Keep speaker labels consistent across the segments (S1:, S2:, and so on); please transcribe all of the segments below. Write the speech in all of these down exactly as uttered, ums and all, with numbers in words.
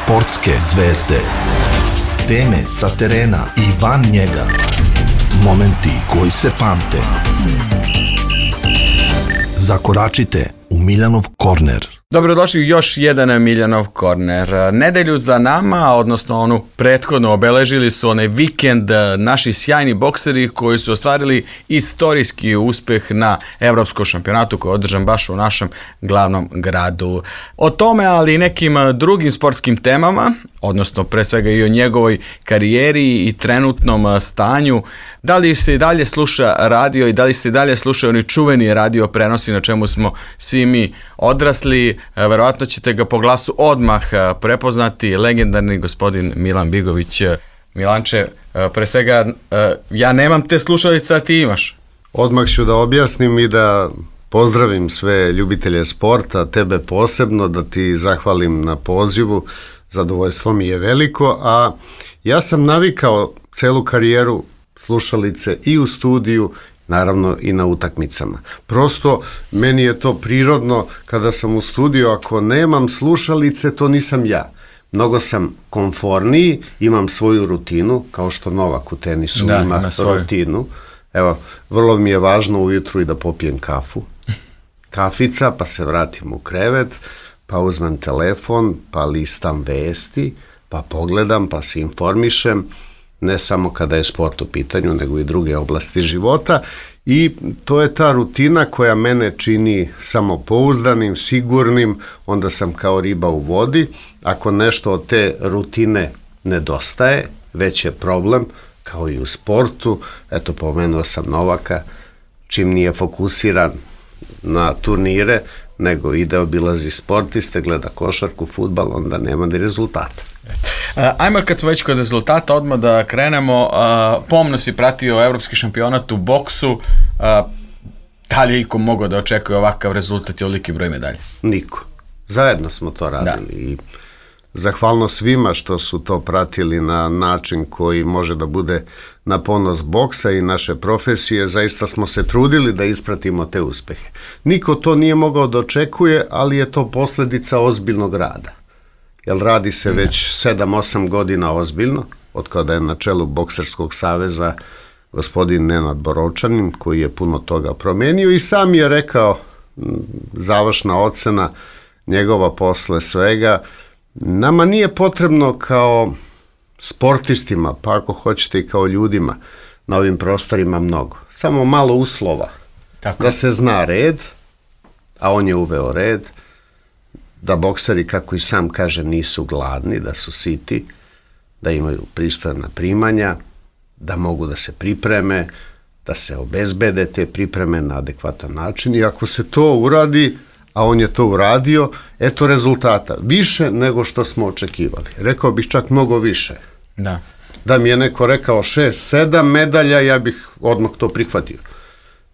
S1: Sportske zvezde. Teme sa terena i van njega. Momenti koji se pamte. Zakoračite u Miljanov korner.
S2: Dobrodošli u još jedan Miljanov korner. Nedelju za nama, odnosno onu prethodno, obeležili su onaj vikend naši sjajni bokseri koji su ostvarili istorijski uspeh na Evropskom šampionatu koji je održan baš u našem glavnom gradu. O tome, ali i nekim drugim sportskim temama, odnosno pre svega i o njegovoj karijeri i trenutnom stanju. Da li se i dalje sluša radio i da li se i dalje slušaju oni čuveni radio prenosi na čemu smo svi mi odrasli. Verovatno ćete ga po glasu odmah prepoznati, legendarni gospodin Milan Bigović. Milanče, pre svega, ja nemam te slušalice, a ti imaš.
S3: Odmah ću da objasnim i da pozdravim sve ljubitelje sporta, tebe posebno, da ti zahvalim na pozivu. Zadovoljstvo mi je veliko, a ja sam navikao celu karijeru slušalice i u studiju, naravno i na utakmicama. Prosto, meni je to prirodno kada sam u studiju, ako nemam slušalice, to nisam ja. Mnogo sam komforniji, imam svoju rutinu, kao što Novak u tenisu da, ima rutinu. Evo, vrlo mi je važno ujutru i da popijem kafu. Kafica, pa se vratim u krevet, pa uzmem telefon, pa listam vesti, pa pogledam, pa se informišem, ne samo kada je sport u pitanju, nego i druge oblasti života, i to je ta rutina koja mene čini samopouzdanim, sigurnim, onda sam kao riba u vodi. Ako nešto od te rutine nedostaje, već je problem, kao i u sportu. Eto, pomenuo sam Novaka, čim nije fokusiran na turnire, nego ide obilazi sportiste, gleda košarku, fudbal, onda nema ni rezultata.
S2: Ajmo, kad smo već kod rezultata, odmah da krenemo. Pomno si pratio evropski šampionat u boksu. Da li je iko mogao da očekuje ovakav rezultat i oliki broj medalja?
S3: Niko. Zajedno smo to radili da. I zahvalno svima što su to pratili na način koji može da bude na ponos boksa i naše profesije. Zaista smo se trudili da ispratimo te uspehe. Niko to nije mogao da očekuje, ali je to posledica ozbiljnog rada. Jer radi se već sedam osam godina ozbiljno, od kada je na čelu Bokserskog saveza gospodin Nenad Borovčanin, koji je puno toga promenio, i sam je rekao, završna ocena njegova posle svega, nama nije potrebno kao sportistima, pa ako hoćete i kao ljudima na ovim prostorima mnogo, samo malo uslova. Tako. Da se zna red, a on je uveo red, da bokseri, kako i sam kaže, nisu gladni, da su siti, da imaju pristojna primanja, da mogu da se pripreme, da se obezbede te pripreme na adekvatan način, i ako se to uradi, a on je to uradio, eto rezultata. Više nego što smo očekivali. Rekao bih čak mnogo više.
S2: Da.
S3: Da mi je neko rekao šest sedam medalja, ja bih odmah to prihvatio.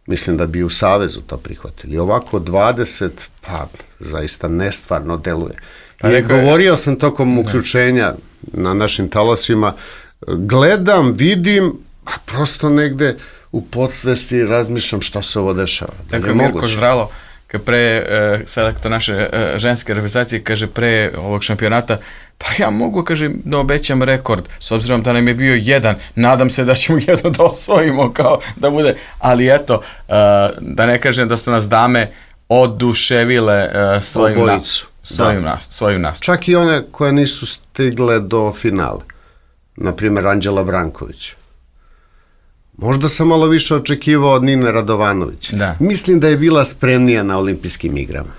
S3: Mislim da bi u Savezu to prihvatili. Ovako dvadeset, pa zaista nestvarno deluje. Pa I govorio sam tokom uključenja na našim talasima, gledam, vidim, a prosto negde u podsvesti razmišljam šta se ovo dešava.
S2: Tako je Mirko Ždralo, kad pre uh, selektor naše uh, ženske reprezentacije, kaže pre ovog šampionata, pa ja mogu, kaže, da obećam rekord, s obzirom da nam je bio jedan, nadam se da ćemo jedno da osvojimo, kao da bude, ali eto, uh, da ne kažem da su nas dame oduševile uh, svojim, na, svojim, da. nas, svojim nas.
S3: Čak i one koje nisu stigle do finale, na primjer Anđela Branković. Možda sam malo više očekivao od Nine Radovanović. Da. Mislim da je bila spremnija na olimpijskim igrama.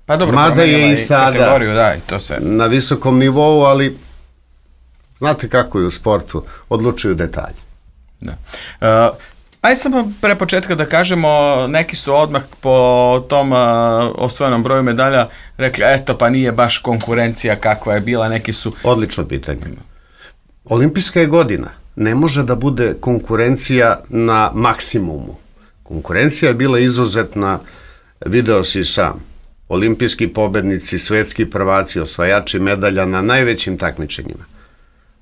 S2: Pa dobro,
S3: mada je i sada
S2: da, i to se...
S3: na visokom nivou, ali znate kako je u sportu, odlučuju detalji.
S2: Da. Uh, aj samo pre početka da kažemo, neki su odmah po tom uh, osvojenom broju medalja rekli, eto, pa nije baš konkurencija kakva je bila, neki su...
S3: Odlično pitanje. Olimpijska je godina. Ne može da bude konkurencija na maksimumu. Konkurencija je bila izuzetna, video si sam. Olimpijski pobednici, svetski prvaci, osvajači medalja na najvećim takmičenjima.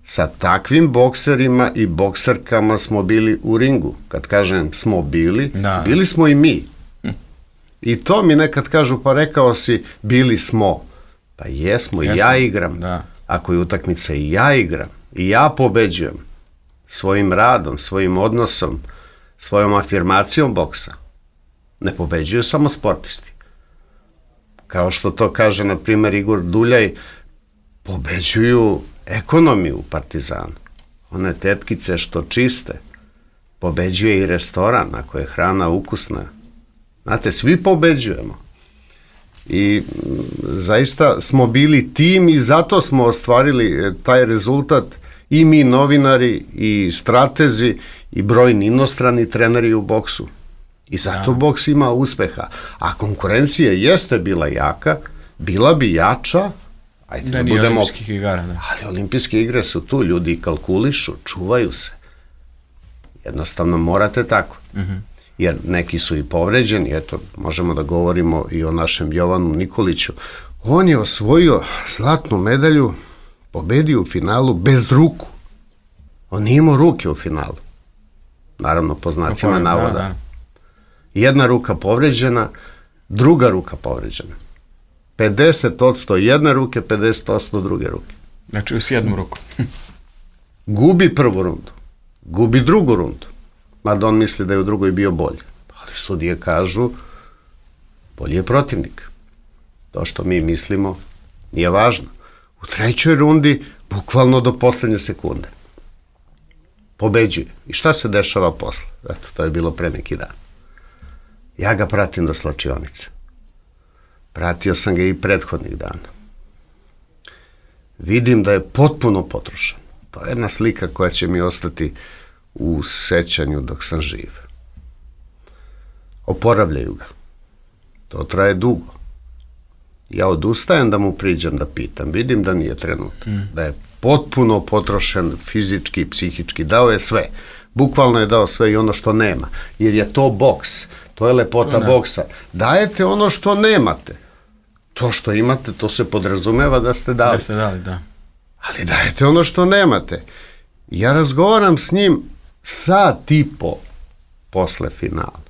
S3: Sa takvim bokserima i bokserkama smo bili u ringu. Kad kažem smo bili, da. Bili smo i mi. Hm. I to mi nekad kažu, pa rekao si, bili smo. Pa jesmo, jesmo. Ja igram. Da. ako je utakmica i ja igram, i ja pobeđujem svojim radom, svojim odnosom, svojom afirmacijom boksa, ne pobeđuju samo sportisti. Kao što to kaže, na primjer, Igor Duljaj, pobeđuju ekonomiju u Partizanu. One tetkice što čiste, pobeđuje i restoran, ako je hrana ukusna. Znate, svi pobeđujemo. I zaista smo bili tim i zato smo ostvarili taj rezultat, i mi novinari, i stratezi, i brojni inostrani treneri u boksu. I zato da. Boks ima uspeha. A konkurencija jeste bila jaka, bila bi jača, ajde da, da budemo...
S2: olimpijskih igara, da.
S3: Ali olimpijske igre su tu, ljudi kalkulišu, čuvaju se. Jednostavno morate tako. Uh-huh. Jer neki su i povređeni, eto, možemo da govorimo i o našem Jovanu Nikoliću. On je osvojio zlatnu medalju, pobedio u finalu bez ruku. On nije imao ruke u finalu. Naravno, po znacima navoda. Da, da. Jedna ruka povređena, druga ruka povređena. pedeset odsto jedne ruke, pedeset odsto druge ruke.
S2: Znači s jednu ruku.
S3: Gubi prvu rundu, gubi drugu rundu. Mada on misli da je u drugoj bio bolji. Ali sudije kažu, bolji je protivnik. To što mi mislimo nije važno. U trećoj rundi, bukvalno do poslednje sekunde, pobeđuje. I šta se dešava posle? Eto, to je bilo pre neki dan. Ja ga pratim do slačionice. Pratio sam ga i prethodnih dana. Vidim da je potpuno potrošen. To je jedna slika koja će mi ostati u sećanju dok sam živ. Oporavljaju ga. To traje dugo. Ja odustajem da mu priđem da pitam. Vidim da nije trenutak. Mm. Da je potpuno potrošen fizički, psihički. Dao je sve. Bukvalno je dao sve i ono što nema. Jer je to boks. To je lepota to boksa. Dajete ono što nemate. To što imate, to se podrazumeva da ste dali.
S2: Da ste dali, da.
S3: Ali dajete ono što nemate. Ja razgovaram s njim sat i po posle finala.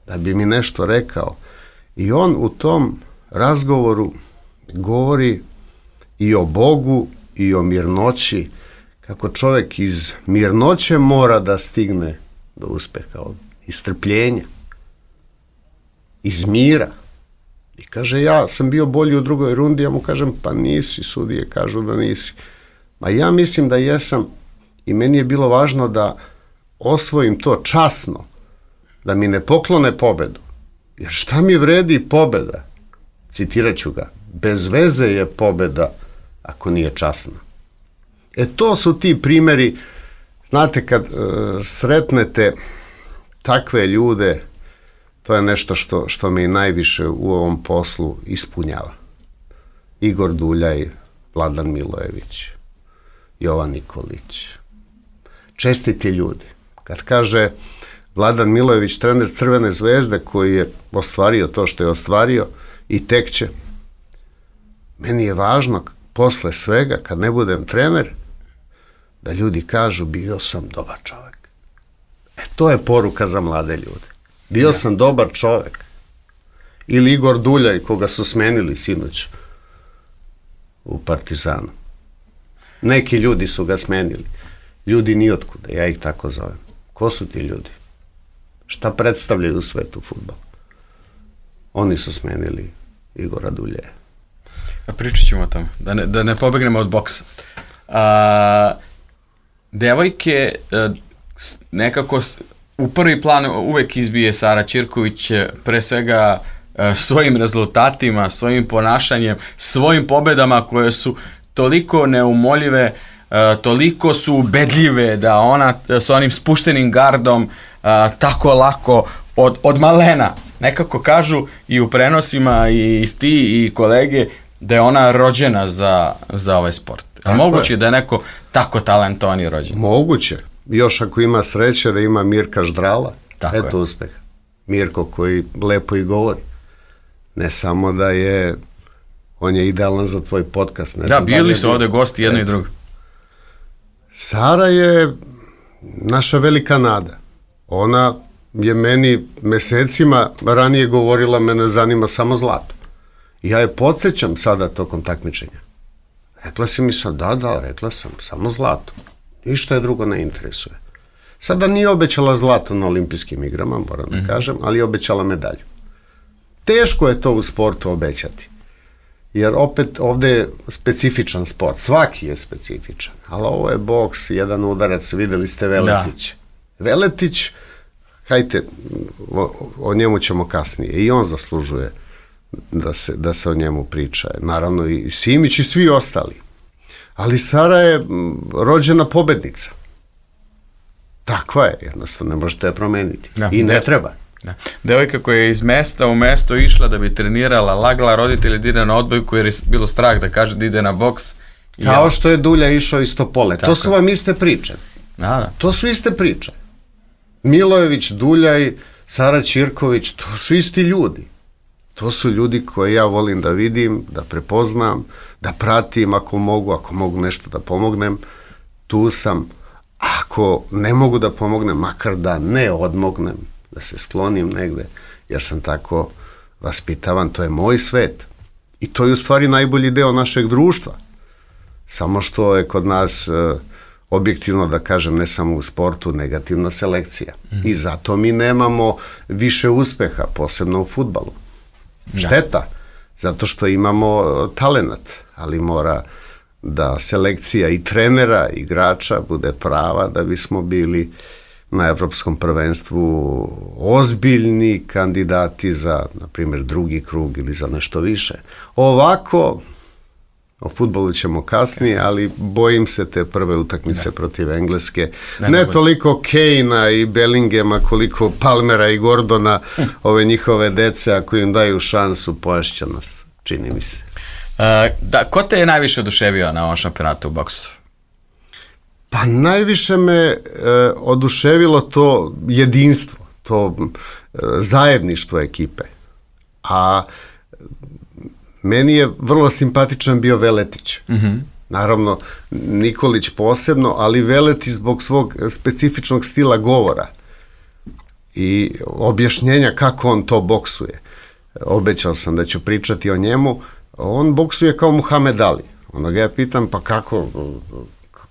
S3: Da bi mi nešto rekao. I on u tom razgovoru govori i o Bogu i o mirnoći. Kako čovjek iz mirnoće mora da stigne do uspeha. Iz strpljenja. Iz mira. I kaže, ja sam bio bolji u drugoj rundi, ja mu kažem, pa nisi, sudije kažu da nisi. Ma ja mislim da jesam i meni je bilo važno da osvojim to časno, da mi ne poklone pobedu. Jer šta mi vredi pobeda? Citirat ću ga, bez veze je pobeda ako nije časna. E to su ti primjeri, znate, kad uh, sretnete takve ljude, to je nešto što, što me i najviše u ovom poslu ispunjava. Igor Duljaj, Vladan Milojević, Jovan Nikolić. Čestiti ljudi. Kad kaže Vladan Milojević, trener Crvene zvezde, koji je ostvario to što je ostvario i tek će, meni je važno posle svega, kad ne budem trener, da ljudi kažu bio sam dobar čovjek. E to je poruka za mlade ljude. Bio ja. sam dobar čovjek. Ili Igor Duljaj, koga su smenili sinoć u Partizanu. Neki ljudi su ga smenili. Ljudi nijotkuda, ja ih tako zovem. Ko su ti ljudi? Šta predstavljaju u svetu fudbala? Oni su smenili Igora Duljaja.
S2: A pričat ćemo o tome, da ne, da ne pobegnemo od boksa. A, devojke a, nekako u prvi plan uvek izbije Sara Ćirković, pre svega a, svojim rezultatima, svojim ponašanjem, svojim pobedama koje su toliko neumoljive, a, toliko su ubedljive da ona sa onim spuštenim gardom a, tako lako od, od malena, nekako kažu i u prenosima i ti i kolege, da je ona rođena za, za ovaj sport. A moguće je da je neko tako talentovan i rođen?
S3: Moguće. Još ako ima sreće da ima Mirka Ždrala,
S2: tako
S3: eto
S2: je.
S3: Uspeh. Mirko koji lepo i govori. Ne samo da je, on je idealan za tvoj podcast. Ne
S2: da, bili su ovde gosti jedno eto. I drugo.
S3: Sara je naša velika nada. Ona je meni mesecima ranije govorila, mene zanima samo zlato. Ja je podsjećam sada tokom takmičenja. Rekla si mi sam, da, da, rekla sam, samo zlato. Ništa je drugo ne interesuje. Sada nije obećala zlato na olimpijskim igrama, moram da kažem, ali je obećala medalju. Teško je to u sportu obećati. Jer opet ovde je specifičan sport. Svaki je specifičan. Ali ovo je boks, jedan udarac, videli ste Veletić. Da. Veletić, hajte, o, o njemu ćemo kasnije. I on zaslužuje da se, da se o njemu priča. Naravno i Simić i svi ostali. Ali Sara je rođena pobednica. Takva je, jednostavno, ne možete je promeniti. Da, I ne da, treba.
S2: Da. Devojka koja je iz mesta u mesto išla da bi trenirala, lagala roditelji da ide na odbojku jer je bilo strah da kaže da ide na boks.
S3: Kao ja... što je Dulja išao iz Topole. Tako. To su vam iste priče.
S2: Da, da.
S3: To su iste priče. Milojević, Duljaj, Sara Ćirković, to su isti ljudi. To su ljudi koje ja volim da vidim, da prepoznam, da pratim ako mogu, ako mogu nešto da pomognem. Tu sam. Ako ne mogu da pomognem, makar da ne odmognem, da se sklonim negde, jer sam tako vaspitavan, to je moj svet. I to je u stvari najbolji deo našeg društva. Samo što je kod nas, e, objektivno da kažem, ne samo u sportu, negativna selekcija. Mm. I zato mi nemamo više uspeha, posebno u fudbalu. Da. Šteta, zato što imamo talenat, ali mora da selekcija i trenera, i igrača bude prava da bismo bili na evropskom prvenstvu ozbiljni kandidati za, na primjer, drugi krug ili za nešto više. Ovako, o fudbalu ćemo kasnije, ali bojim se te prve utakmice da. protiv Engleske. Ne, ne toliko Kejna i Bellingema, koliko Palmera i Gordona, ove njihove dece, ako im daju šansu, poješće nas, čini mi se.
S2: Uh, da, ko te je najviše oduševio na ovom šampionatu u boksu?
S3: Pa najviše me e, oduševilo to jedinstvo, to e, zajedništvo ekipe. A meni je vrlo simpatičan bio Veletić. Mm-hmm. Naravno, Nikolić posebno, ali Veletić zbog svog specifičnog stila govora i objašnjenja kako on to boksuje. Obećao sam da ću pričati o njemu. On boksuje kao Muhammed Ali. Onda ga ja pitam, pa kako,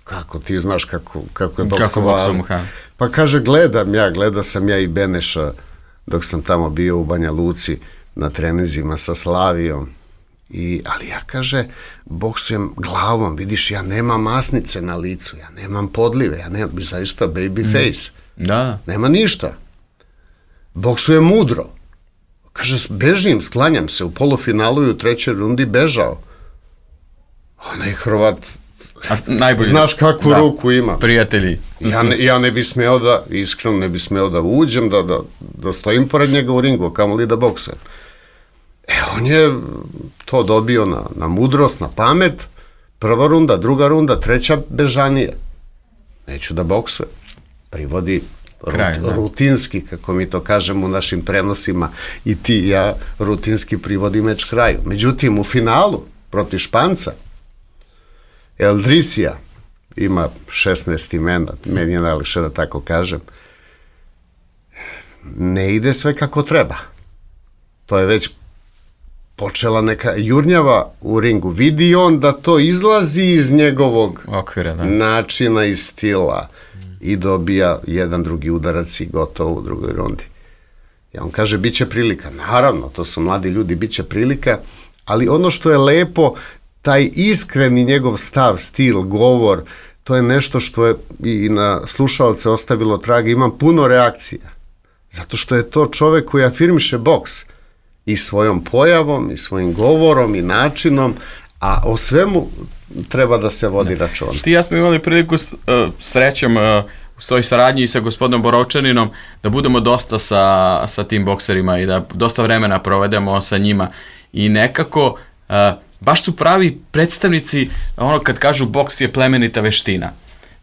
S3: kako ti znaš kako, kako je boksovao? Pa kaže, gledam ja, gledao sam ja i Beneša dok sam tamo bio u Banja Luci na treninzima sa Slavijom. I, ali ja, kaže, boksujem glavom, vidiš, ja nemam masnice na licu, ja nemam podlive, ja nemam, zaista baby face. Mm. Da. Nema ništa. Boksujem mudro. Kaže, bežim, sklanjam se, u polufinalu i u trećoj rundi bežao. Onaj Hrvat, najbolji, znaš kakvu da, ruku ima.
S2: Prijatelji.
S3: Ja ne, ja ne bi smeo da, iskreno ne bi smeo da uđem, da, da, da stojim pored njega u ringu, kamo li da boksujem. E, on je to dobio na, na mudrost, na pamet, prva runda, druga runda, treća bežanije. Neću da boksujem. Privodi Kraj, Rut, rutinski, kako mi to kažemo u našim prenosima, i ti i ja rutinski privodi meč kraju. Međutim, u finalu, protiv Španca, Eldrisija ima šesnaest imena, meni je najlakše da tako kažem, ne ide sve kako treba. To je već počela neka jurnjava u ringu. Vidi on da to izlazi iz njegovog okvira, da, načina i stila i dobija jedan drugi udarac i gotovo u drugoj rundi. I on kaže, bit će prilika. Naravno, to su mladi ljudi, bit će prilika, ali ono što je lepo, taj iskreni njegov stav, stil, govor, to je nešto što je i na slušalce ostavilo traga. Imam puno reakcija, zato što je to čovek koji afirmiše boks i svojom pojavom, i svojim govorom, i načinom, a o svemu treba da se vodi računa.
S2: Ti ja smo imali priliku uh, srećom uh, u toj saradnji sa gospodinom Borovčaninom da budemo dosta sa, sa tim bokserima i da dosta vremena provedemo sa njima i nekako uh, baš su pravi predstavnici ono kad kažu boks je plemenita veština.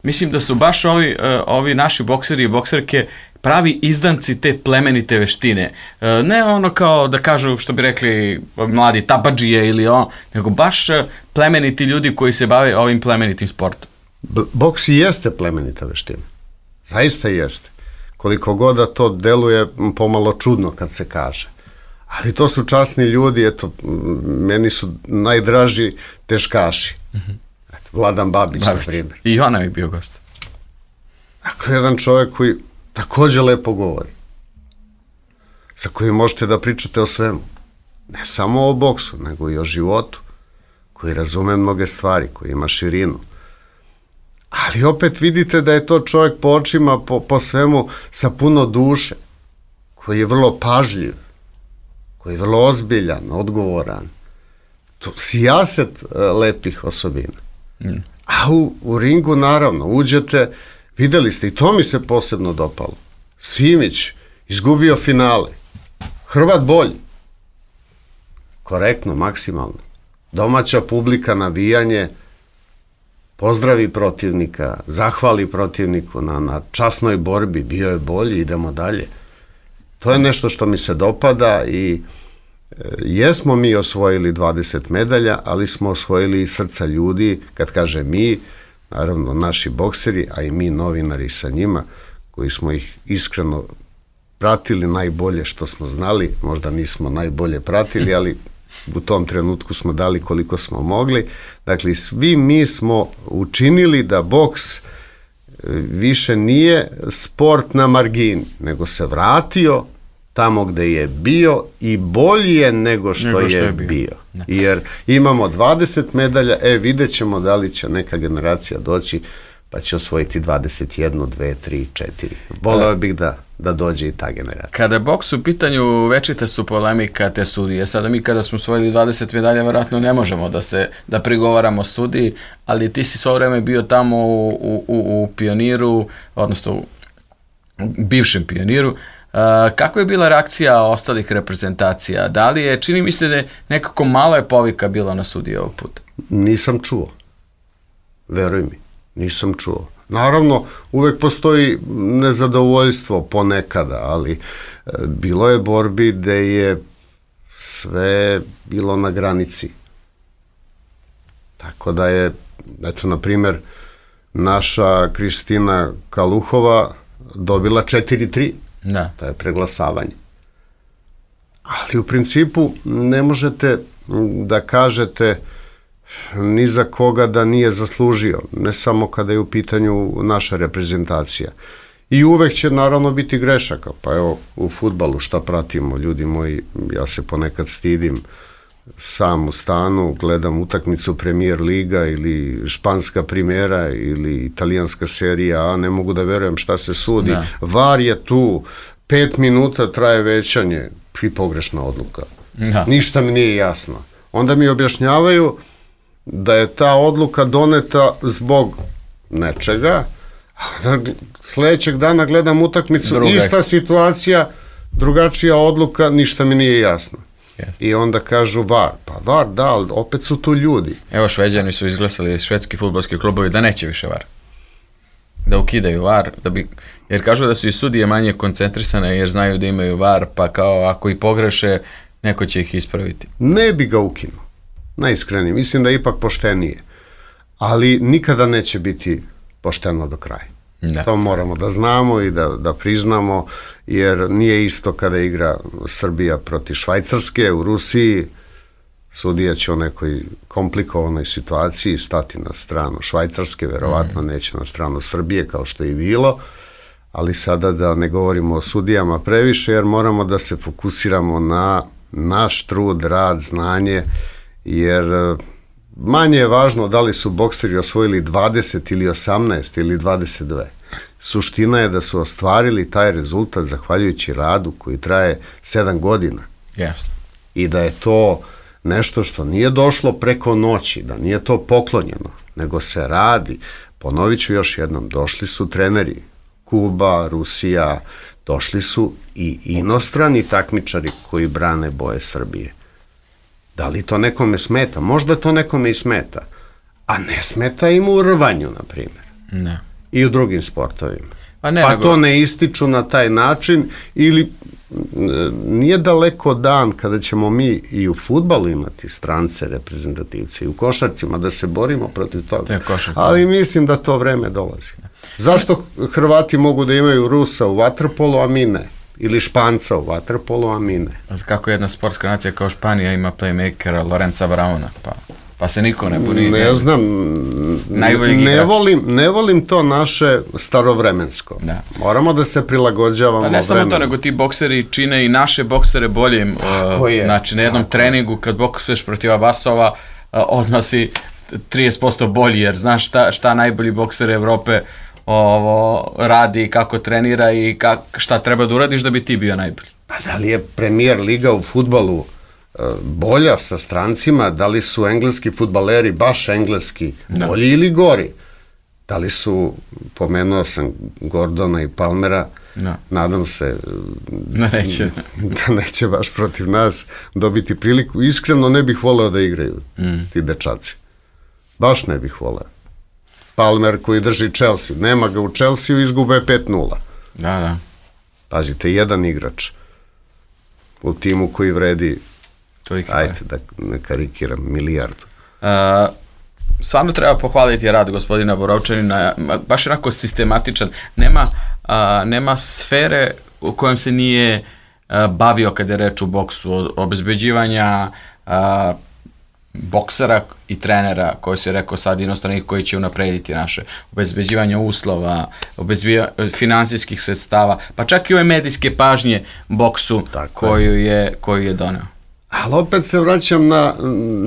S2: Mislim da su baš ovi, uh, ovi naši bokseri i bokserke pravi izdanci te plemenite veštine. Uh, ne ono kao da kažu što bi rekli mladi tabadžije ili ono, nego baš uh, plemeniti ljudi koji se bave ovim plemenitim sportom.
S3: B- boks i jeste plemenita veština. Zaista jeste. Koliko god da to deluje pomalo čudno kad se kaže. Ali to su časni ljudi, eto, meni su najdraži teškaši. Mm-hmm. Eto, Vladan Babić, Babić, na primjer.
S2: I ona je bio gost.
S3: Dakle, jedan čovjek koji također lepo govori. Sa kojim možete da pričate o svemu. Ne samo o boksu, nego i o životu. Koji razume mnoge stvari, koji ima širinu. Ali opet vidite da je to čovjek po očima, po, po svemu, sa puno duše. Koji je vrlo pažljiv. Koji je vrlo ozbiljan, odgovoran. To sijaset uh, lepih osobina. Mm. A u, u ringu, naravno, uđete, videli ste, i to mi se posebno dopalo. Simić izgubio finale. Hrvat bolji. Korektno, maksimalno. Domaća publika, navijanje, pozdravi protivnika, zahvali protivniku na, na časnoj borbi, bio je bolji, idemo dalje. To je nešto što mi se dopada i e, jesmo mi osvojili dvadeset medalja, ali smo osvojili i srca ljudi, kad kaže mi, naravno naši bokseri, a i mi novinari sa njima, koji smo ih iskreno pratili najbolje što smo znali, možda nismo najbolje pratili, ali u tom trenutku smo dali koliko smo mogli. Dakle, svi mi smo učinili da boks više nije sport na margini, nego se vratio tamo gde je bio i bolji je nego što, nego što je, je bio. bio. Jer imamo dvadeset medalja, e, vidjet ćemo da li će neka generacija doći pa će osvojiti dvadeset jedan, dve, tri, četiri. Voleo bih da, da dođe i ta generacija.
S2: Kada je boks u pitanju, večita su polemika te sudije. Sada mi kada smo osvojili dvadeset medalja, vjerojatno ne možemo da se da prigovaramo sudiji, ali ti si svo vreme bio tamo u, u, u Pioniru, odnosno u bivšem Pioniru. Uh, kako je bila reakcija ostalih reprezentacija? Da li je, čini mi se da je nekako malo je povika bila na sudije ovog puta?
S3: Nisam čuo. Veruj mi, nisam čuo. Naravno, uvek postoji nezadovoljstvo ponekada, ali e, bilo je borbi gde je sve bilo na granici. Tako da je, eto, na primjer, naša Kristina Kaluhova dobila četiri tri. Da. To je preglasavanje. Ali u principu ne možete da kažete ni za koga da nije zaslužio, ne samo kada je u pitanju naša reprezentacija. I uvek će naravno biti grešaka, pa evo u fudbalu šta pratimo, ljudi moji, ja se ponekad stidim sam u stanu, gledam utakmicu Premier Liga ili španska primera ili italijanska serija A, ne mogu da verujem šta se sudi. Da. VAR je tu, pet minuta traje većanje i pogrešna odluka. Da. Ništa mi nije jasno. Onda mi objašnjavaju da je ta odluka doneta zbog nečega, a sledećeg dana gledam utakmicu, druga ista situacija, drugačija odluka, ništa mi nije jasno. Yes. I onda kažu VAR, pa VAR da, ali opet su tu ljudi.
S2: Evo, Šveđani su izglasali, švedski fudbalski klubovi, da neće više VAR. Da ukidaju VAR, da bi, jer kažu da su i sudije manje koncentrisane jer znaju da imaju VAR, pa kao ako i pogreše, neko će ih ispraviti.
S3: Ne bi ga ukinuo, najiskrenije. Mislim da je ipak poštenije. Ali nikada neće biti pošteno do kraja. Da. To moramo da znamo i da, da priznamo, jer nije isto kada igra Srbija protiv Švajcarske u Rusiji, sudija će u nekoj komplikovanoj situaciji stati na stranu Švajcarske, verovatno mm. neće na stranu Srbije kao što je i bilo, ali sada da ne govorimo o sudijama previše, jer moramo da se fokusiramo na naš trud, rad, znanje, jer manje je važno da li su bokseri osvojili dvadeset ili osamnaest ili dvadeset dve. Suština je da su ostvarili taj rezultat zahvaljujući radu koji traje sedam godina.
S2: Jasno.
S3: I da je to nešto što nije došlo preko noći, da nije to poklonjeno, nego se radi. Ponovit ću još jednom, došli su treneri Kuba, Rusija, došli su i inostrani takmičari koji brane boje Srbije. Da li to nekome smeta? Možda to nekome i smeta. A ne smeta im u rvanju, na primjer.
S2: Ne.
S3: I u drugim sportovima.
S2: Pa, ne,
S3: pa
S2: nego...
S3: to ne ističu na taj način ili nije daleko dan kada ćemo mi i u fudbalu imati strance reprezentativce i u košarcima da se borimo protiv toga. Ali mislim da to vreme dolazi. Zašto Hrvati mogu da imaju Rusa u vaterpolu, a mi ne? ili Španca u vaterpolu, a mi ne.
S2: Kako jedna sportska nacija kao Španija ima playmakera Lorenza Brauna, pa, pa se niko ne buni.
S3: Ne, ne znam, ne volim, ne volim to naše starovremensko. Da. Moramo da se prilagođavamo vremenu.
S2: Pa ne samo vremenu. To, nego ti bokseri čine i naše boksere boljim. Tako je. Znači, na jednom tako treningu kad boksuješ protiv Abasova, odmah si trideset posto bolji, jer znaš šta, šta najbolji bokser Evrope ovo radi, kako trenira i kak, šta treba da uradiš da bi ti bio najbolji.
S3: Pa da li je Premier liga u fudbalu uh, bolja sa strancima, da li su engleski fudbaleri baš engleski bolji da. Ili gori? Da li su, pomenuo sam Gordona i Palmera, da. Nadam se
S2: da neće.
S3: da neće baš protiv nas dobiti priliku. Iskreno ne bih voleo da igraju mm. ti dečaci. Baš ne bih voleo. Palmer koji drži Chelsea, nema ga u Chelsea, izgube pet nula.
S2: Da, da.
S3: Pazite, jedan igrač u timu koji vredi, ajde da ne karikiram, milijardu.
S2: Uh, stvarno treba pohvaliti rad gospodina Borovčanina, baš onako sistematičan. Nema, uh, nema sfere u kojem se nije uh, bavio kada je reč u boksu, od obezbeđivanja uh, boksera i trenera, koji se rekao sad inostranih, koji će unaprediti naše obezbeđivanje uslova, obezbeđivanje finansijskih sredstava, pa čak i ove medijske pažnje boksu koju je, koju je doneo.
S3: Ali opet se vraćam na,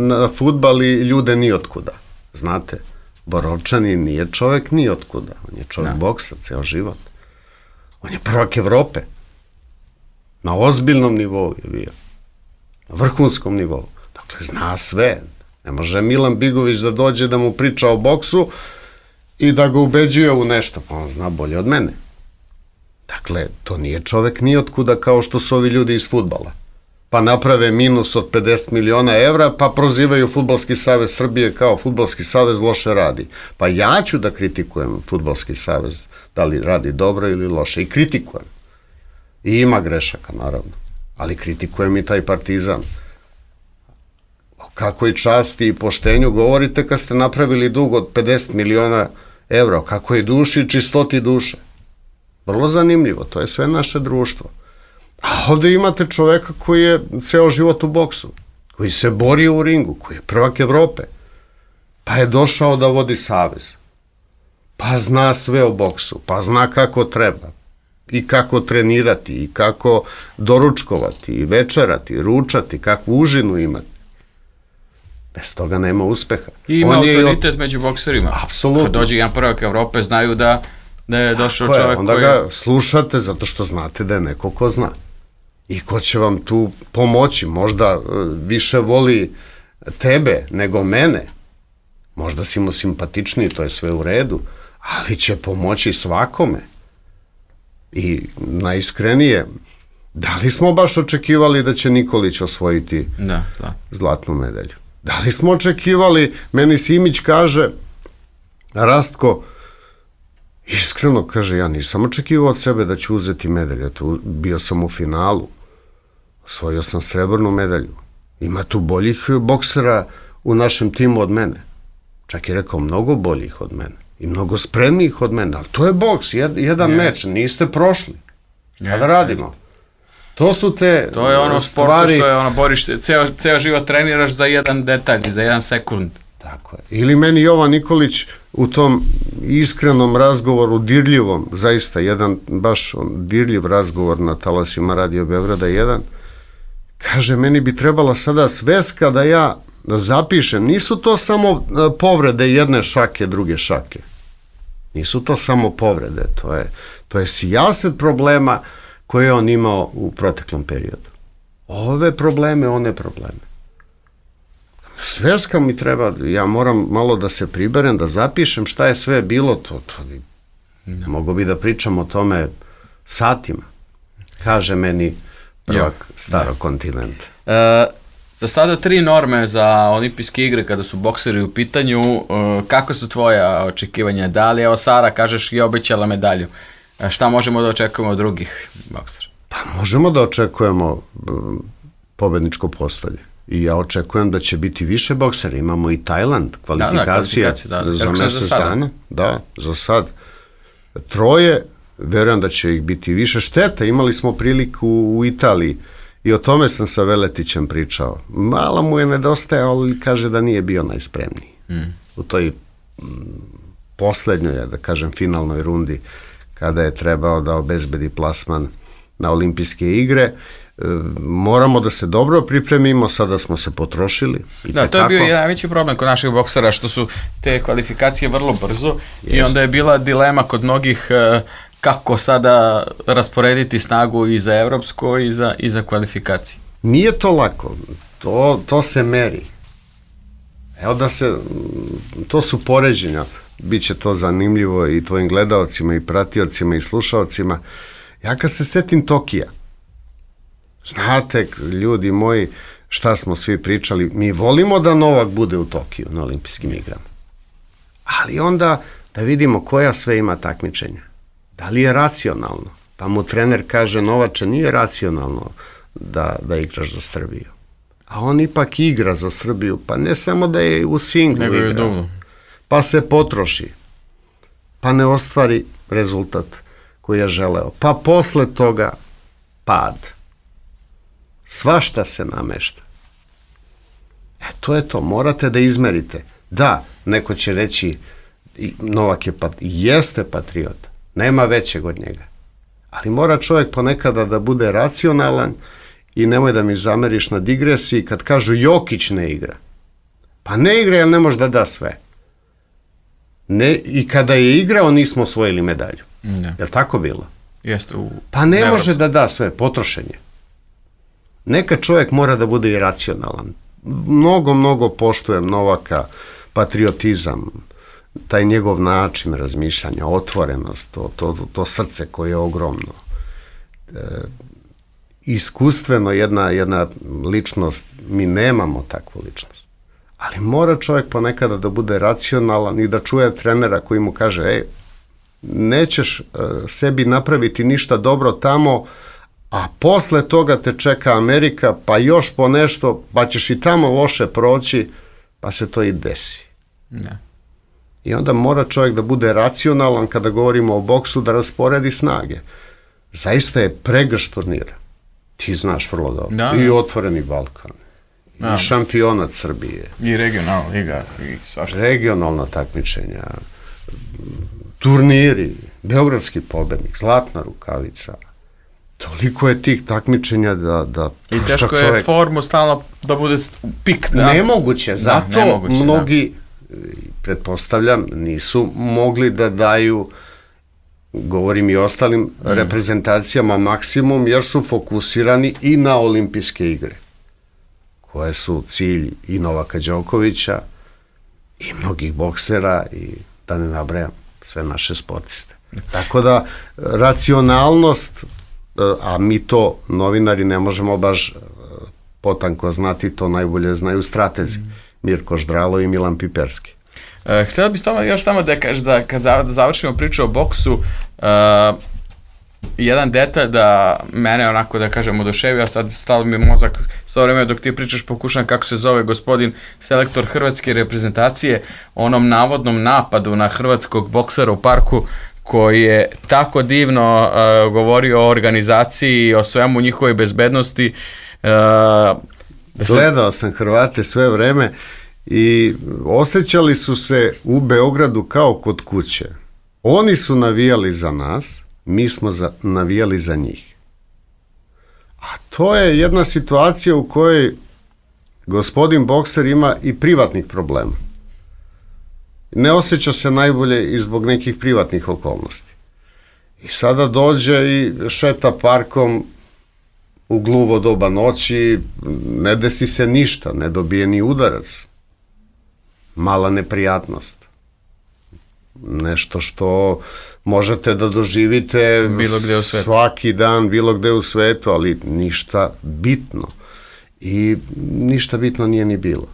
S3: na fudbal i ljude nijotkuda. Znate, Borovčanin nije čovek nijotkuda. On je čovek da. Boksa, ceo život. On je prvak Evrope. Na ozbiljnom nivou je bio. Na vrhunskom nivou. Dakle, zna sve. Ne može Milan Bigović da dođe da mu priča o boksu i da ga ubeđuje u nešto. Pa on zna bolje od mene. Dakle, to nije čovek nijotkuda kao što su ovi ljudi iz fudbala. Pa naprave minus od pedeset miliona evra, pa prozivaju Fudbalski savez Srbije kao Fudbalski savez loše radi. Pa ja ću da kritikujem Fudbalski savez, da li radi dobro ili loše. I kritikujem. I ima grešaka, naravno. Ali kritikujem i taj Partizan. O kakvoj časti i poštenju govorite kad ste napravili dug od pedeset miliona evra, o kakvoj duši i čistoti duše. Vrlo zanimljivo, to je sve naše društvo. A ovde imate čoveka koji je ceo život u boksu, koji se bori u ringu, koji je prvak Evrope, pa je došao da vodi savez, pa zna sve o boksu, pa zna kako treba, i kako trenirati, i kako doručkovati, i večerati, i ručati, kakvu užinu imati. Bez toga nema uspeha.
S2: I ima autoritet od... među bokserima.
S3: Apsolutno.
S2: Kad dođe jedan prvak Evrope, znaju da, da je došao tako čovek je,
S3: onda
S2: koji...
S3: Onda ga slušate zato što znate da je neko ko zna. I ko će vam tu pomoći. Možda više voli tebe nego mene. Možda si mu simpatičniji, to je sve u redu. Ali će pomoći svakome. I najiskrenije, da li smo baš očekivali da će Nikolić osvojiti
S2: da, da.
S3: zlatnu medalju? Da li smo očekivali, meni Simić kaže, Rastko, iskreno kaže, ja nisam očekivao od sebe da ću uzeti medalju. Eto, bio sam u finalu, osvojio sam srebrnu medalju. Ima tu boljih boksera u našem timu od mene. Čak je rekao mnogo boljih od mene. I mnogo spremnijih od mene. Ali to je boks, jed, jedan yes. meč, niste prošli. Šta yes, da radimo? Yes. To su te
S2: to je ono
S3: stvari...
S2: sportu što je ono, boriš, ceo, ceo život treniraš za jedan detalj, za jedan sekund.
S3: Tako je. Ili meni Jovan Nikolić u tom iskrenom razgovoru, dirljivom, zaista jedan baš on, dirljiv razgovor na talasima Radio Beograda jedan, kaže, meni bi trebala sada sveska da ja zapišem. Nisu to samo povrede jedne šake, druge šake. Nisu to samo povrede. To je, to je sijaset problema koje je on imao u proteklom periodu. Ove probleme, one probleme. Sveska mi treba, ja moram malo da se priberem, da zapišem šta je sve bilo, to, to no. mogu bi da pričam o tome satima. Kaže meni prvak starog kontinenta.
S2: E, za sada tri norme za olimpijske igre kada su bokseri u pitanju, e, kako su tvoja očekivanja? Da li, evo Sara, kažeš, je obećala medalju. E, šta možemo da očekujemo od drugih boksera?
S3: Pa možemo da očekujemo um, pobedničko postolje. I ja očekujem da će biti više boksera. Imamo i Tajland, kvalifikacija
S2: da, da,
S3: da, za mesec dana. Da, za sad. Troje verujem da će ih biti više. Šteta, imali smo priliku u Italiji i o tome sam sa Veletićem pričao. Malo mu je nedostajao, ali kaže da nije bio najspremniji. Mm. U toj m, poslednjoj, da kažem, finalnoj rundi, kada je trebao da obezbedi plasman na olimpijske igre. E, moramo da se dobro pripremimo, sada smo se potrošili. I
S2: da, to je bio jedan najveći problem kod naših boksera, što su te kvalifikacije vrlo brzo. Jest. I onda je bila dilema kod mnogih e, kako sada rasporediti snagu i za evropsko i za, i za kvalifikacije.
S3: Nije to lako, to, to se meri. Evo da se, to su poređenja, biće to zanimljivo i tvojim gledaocima i pratiocima i slušaocima. Ja kad se setim Tokija, znate, ljudi moji, šta smo svi pričali, mi volimo da Novak bude u Tokiju na olimpijskim igrama. Ali onda da vidimo koja sve ima takmičenja. Da li je racionalno? Pa mu trener kaže, Novače, nije racionalno da, da igraš za Srbiju. A on ipak igra za Srbiju, pa ne samo da je u singlu igra, pa se potroši, pa ne ostvari rezultat koji je želeo. Pa posle toga pad. Svašta se namešta. E, to je to, morate da izmerite. Da, neko će reći, Novak je pat, jeste patriota, nema većeg od njega. Ali mora čovjek ponekada da bude racionalan i nemoj da mi zameriš na digresiji kad kažu Jokić ne igra. Pa ne igra jer ne može da da sve. Ne, i kada je igrao nismo osvojili medalju. Ne. Je li tako bilo?
S2: Jeste. U...
S3: Pa ne Evropsku. Može da da sve, potrošenje. Nekad čovjek mora da bude i racionalan. Mnogo, mnogo poštujem Novaka, patriotizam, taj njegov način razmišljanja, otvorenost, to, to, to srce koje je ogromno. E, iskustveno jedna, jedna ličnost, mi nemamo takvu ličnost. Ali mora čovjek ponekada da bude racionalan i da čuje trenera koji mu kaže, ej, nećeš uh, sebi napraviti ništa dobro tamo, a posle toga te čeka Amerika, pa još po nešto, pa ćeš i tamo loše proći, pa se to i desi. Ne. I onda mora čovjek da bude racionalan kada govorimo o boksu, da rasporedi snage. Zaista je pregršt turnira. Ti znaš vrlo dobro. Da, da. I Otvoreni Balkan. Da. I šampionat Srbije.
S2: I regionalna liga. I svašta.
S3: Regionalna takmičenja. Turniri. Beogradski pobednik. Zlatna rukavica. Toliko je tih takmičenja da... da
S2: I teško čovjek... je formu stalno da bude pik. Da?
S3: Nemoguće. Zato da, nemoguće, mnogi, da. pretpostavljam, nisu mogli da daju, govorim i ostalim mm. reprezentacijama, maksimum, jer su fokusirani i na olimpijske igre, koje su cilj i Novaka Đokovića i mnogih boksera i da ne nabrajam sve naše sportiste. Tako da racionalnost, a mi to novinari ne možemo baš potanko znati, to najbolje znaju stratezi, mm. Mirko Ždralo i Milan Piperski.
S2: E, htio bih tome još samo da kažeš, da kad završimo priču o boksu, uh, jedan detalj da mene onako da kažem oduševio, a sad stalo mi mozak sve vreme dok ti pričaš, pokušam kako se zove gospodin selektor hrvatske reprezentacije, onom navodnom napadu na hrvatskog boksera u parku, koji je tako divno uh, govorio o organizaciji i o svemu njihovoj bezbednosti. Uh,
S3: da sam... Gledao sam Hrvate sve vreme i osjećali su se u Beogradu kao kod kuće. Oni su navijali za nas, mi smo za, navijali za njih. A to je jedna situacija u kojoj gospodin bokser ima i privatnih problema. Ne osjeća se najbolje i zbog nekih privatnih okolnosti. I sada dođe i šeta parkom u gluvo doba noći, ne desi se ništa, ne dobije ni udarac. Mala neprijatnost. Nešto što možete da doživite
S2: bilo gde u svetu.
S3: Svaki dan, bilo gde u svetu, ali ništa bitno. I ništa bitno nije ni bilo.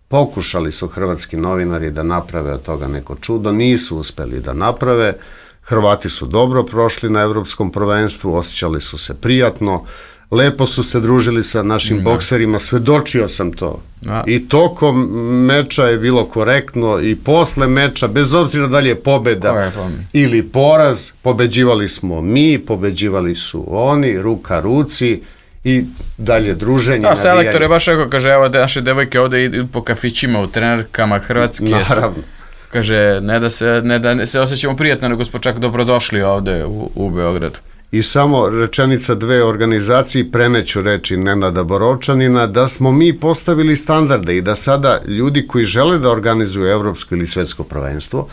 S3: Pokušali su hrvatski novinari da naprave od toga neko čudo, nisu uspeli da naprave. Hrvati su dobro prošli na evropskom prvenstvu, osjećali su se prijatno, lepo su se družili sa našim mm. bokserima, svedočio sam to. A. I tokom meča je bilo korektno i posle meča, bez obzira da li je pobeda je ili poraz, pobeđivali smo mi, pobeđivali su oni, ruka ruci i dalje druženje.
S2: Da, selektor je baš rekao, kaže, evo naše devojke ovde idu po kafićima u trenerkama Hrvatske.
S3: Naravno.
S2: Kaže, ne da se, ne da ne se osjećamo prijatno, nego smo čak dobrodošli ovde u, u Beogradu.
S3: I samo rečenica dve organizaciji, preneću reči Nenada Borovčanina, da smo mi postavili standarde i da sada ljudi koji žele da organizuju evropsko ili svetsko prvenstvo,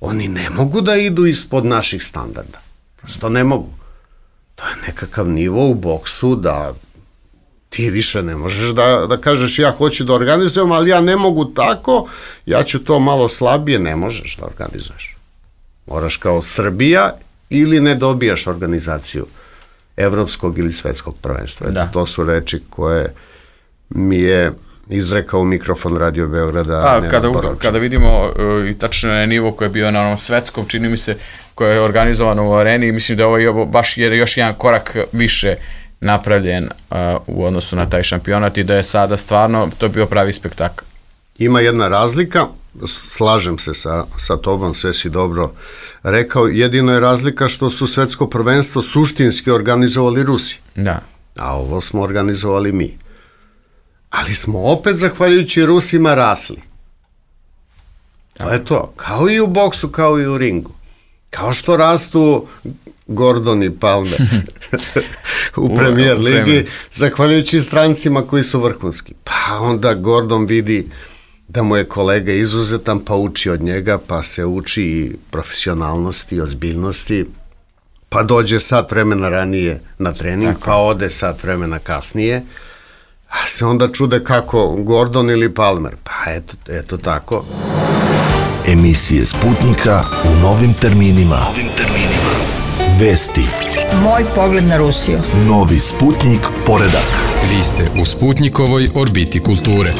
S3: oni ne mogu da idu ispod naših standarda. Prosto ne mogu. To je nekakav nivo u boksu da ti više ne možeš da, da kažeš ja hoću da organizujem, ali ja ne mogu tako, ja ću to malo slabije, ne možeš da organizuješ. Moraš kao Srbija ili ne dobijaš organizaciju evropskog ili svetskog prvenstva. Eto, to su reči koje mi je izrekao u mikrofon Radio Beograda.
S2: A, kada, kada vidimo uh, i tačno je nivo koji je bio na onom svetskom, čini mi se, koje je organizovano u areni i mislim da ovo je baš je još jedan korak više napravljen uh, u odnosu na taj šampionat i da je sada stvarno to bio pravi spektakl.
S3: Ima jedna razlika, slažem se sa, sa tobom, sve si dobro rekao, jedino je razlika što su svetsko prvenstvo suštinski organizovali Rusi.
S2: Da.
S3: A ovo smo organizovali mi. Ali smo opet, zahvaljujući Rusima, rasli. To je to. Kao i u boksu, kao i u ringu. Kao što rastu Gordon i Palmer u Premier ligi, zahvaljujući strancima koji su vrhunski. Pa onda Gordon vidi da mu je kolega izuzetan, pa uči od njega, pa se uči i profesionalnosti, ozbiljnosti, pa dođe sat vremena ranije na trening, tako. Pa ode sat vremena kasnije, a se onda čude kako Gordon ili Palmer. Pa eto, eto tako.
S1: Emisije Sputnika u novim terminima. Novim terminima. Vesti.
S4: Moj pogled na Rusiju.
S1: Novi Sputnik poredak.
S5: Vi ste u Sputnikovoj orbiti kulture.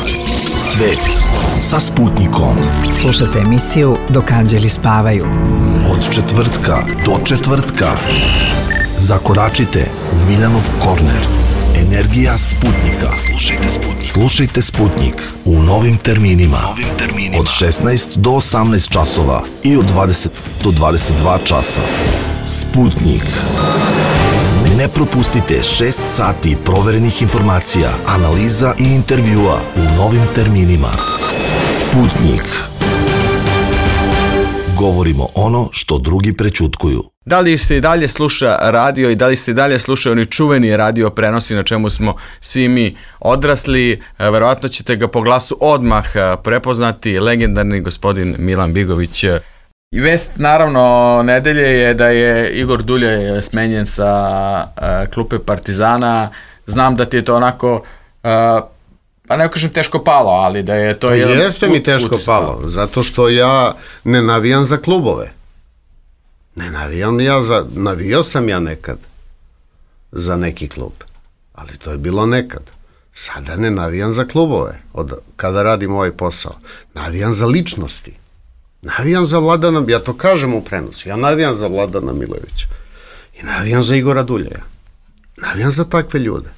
S1: Svet sa Sputnikom.
S4: Slušajte emisiju Dok anđeli spavaju.
S1: Od četvrtka do četvrtka. Zakoračite u Miljanov korner. Energija Sputnika. Slušajte Sputnik. Slušajte Sputnik u novim terminima. Novim terminima. Od šesnaest do osamnaest časova i od dvadeset do dvadeset dva časa. Sputnik. Ne propustite šest sati proverenih informacija, analiza i intervjua u novim terminima. Sputnik. Govorimo ono što drugi prećutkuju.
S2: Da li se i dalje sluša radio i da li se i dalje slušaju oni čuveni radio prenosi na čemu smo svi mi odrasli, verovatno ćete ga po glasu odmah prepoznati, legendarni gospodin Milan Bigović. I vest, naravno, nedelje je da je Igor Dulje smenjen sa uh, klupe Partizana. Znam da ti je to onako, uh, pa ne kažem teško palo, ali da je to...
S3: Pa jeste mi teško palo, zato što ja ne navijam za klubove. Ne navijam ja za... Navijao sam ja nekad za neki klub, ali to je bilo nekad. Sada ne navijam za klubove, od kada radim ovaj posao. Navijam za ličnosti. Navijam za Vladana, ja to kažem u prenosu, ja navijam za Vladana Milojevića i navijam za Igora Duljeja. Navijam za takve ljude.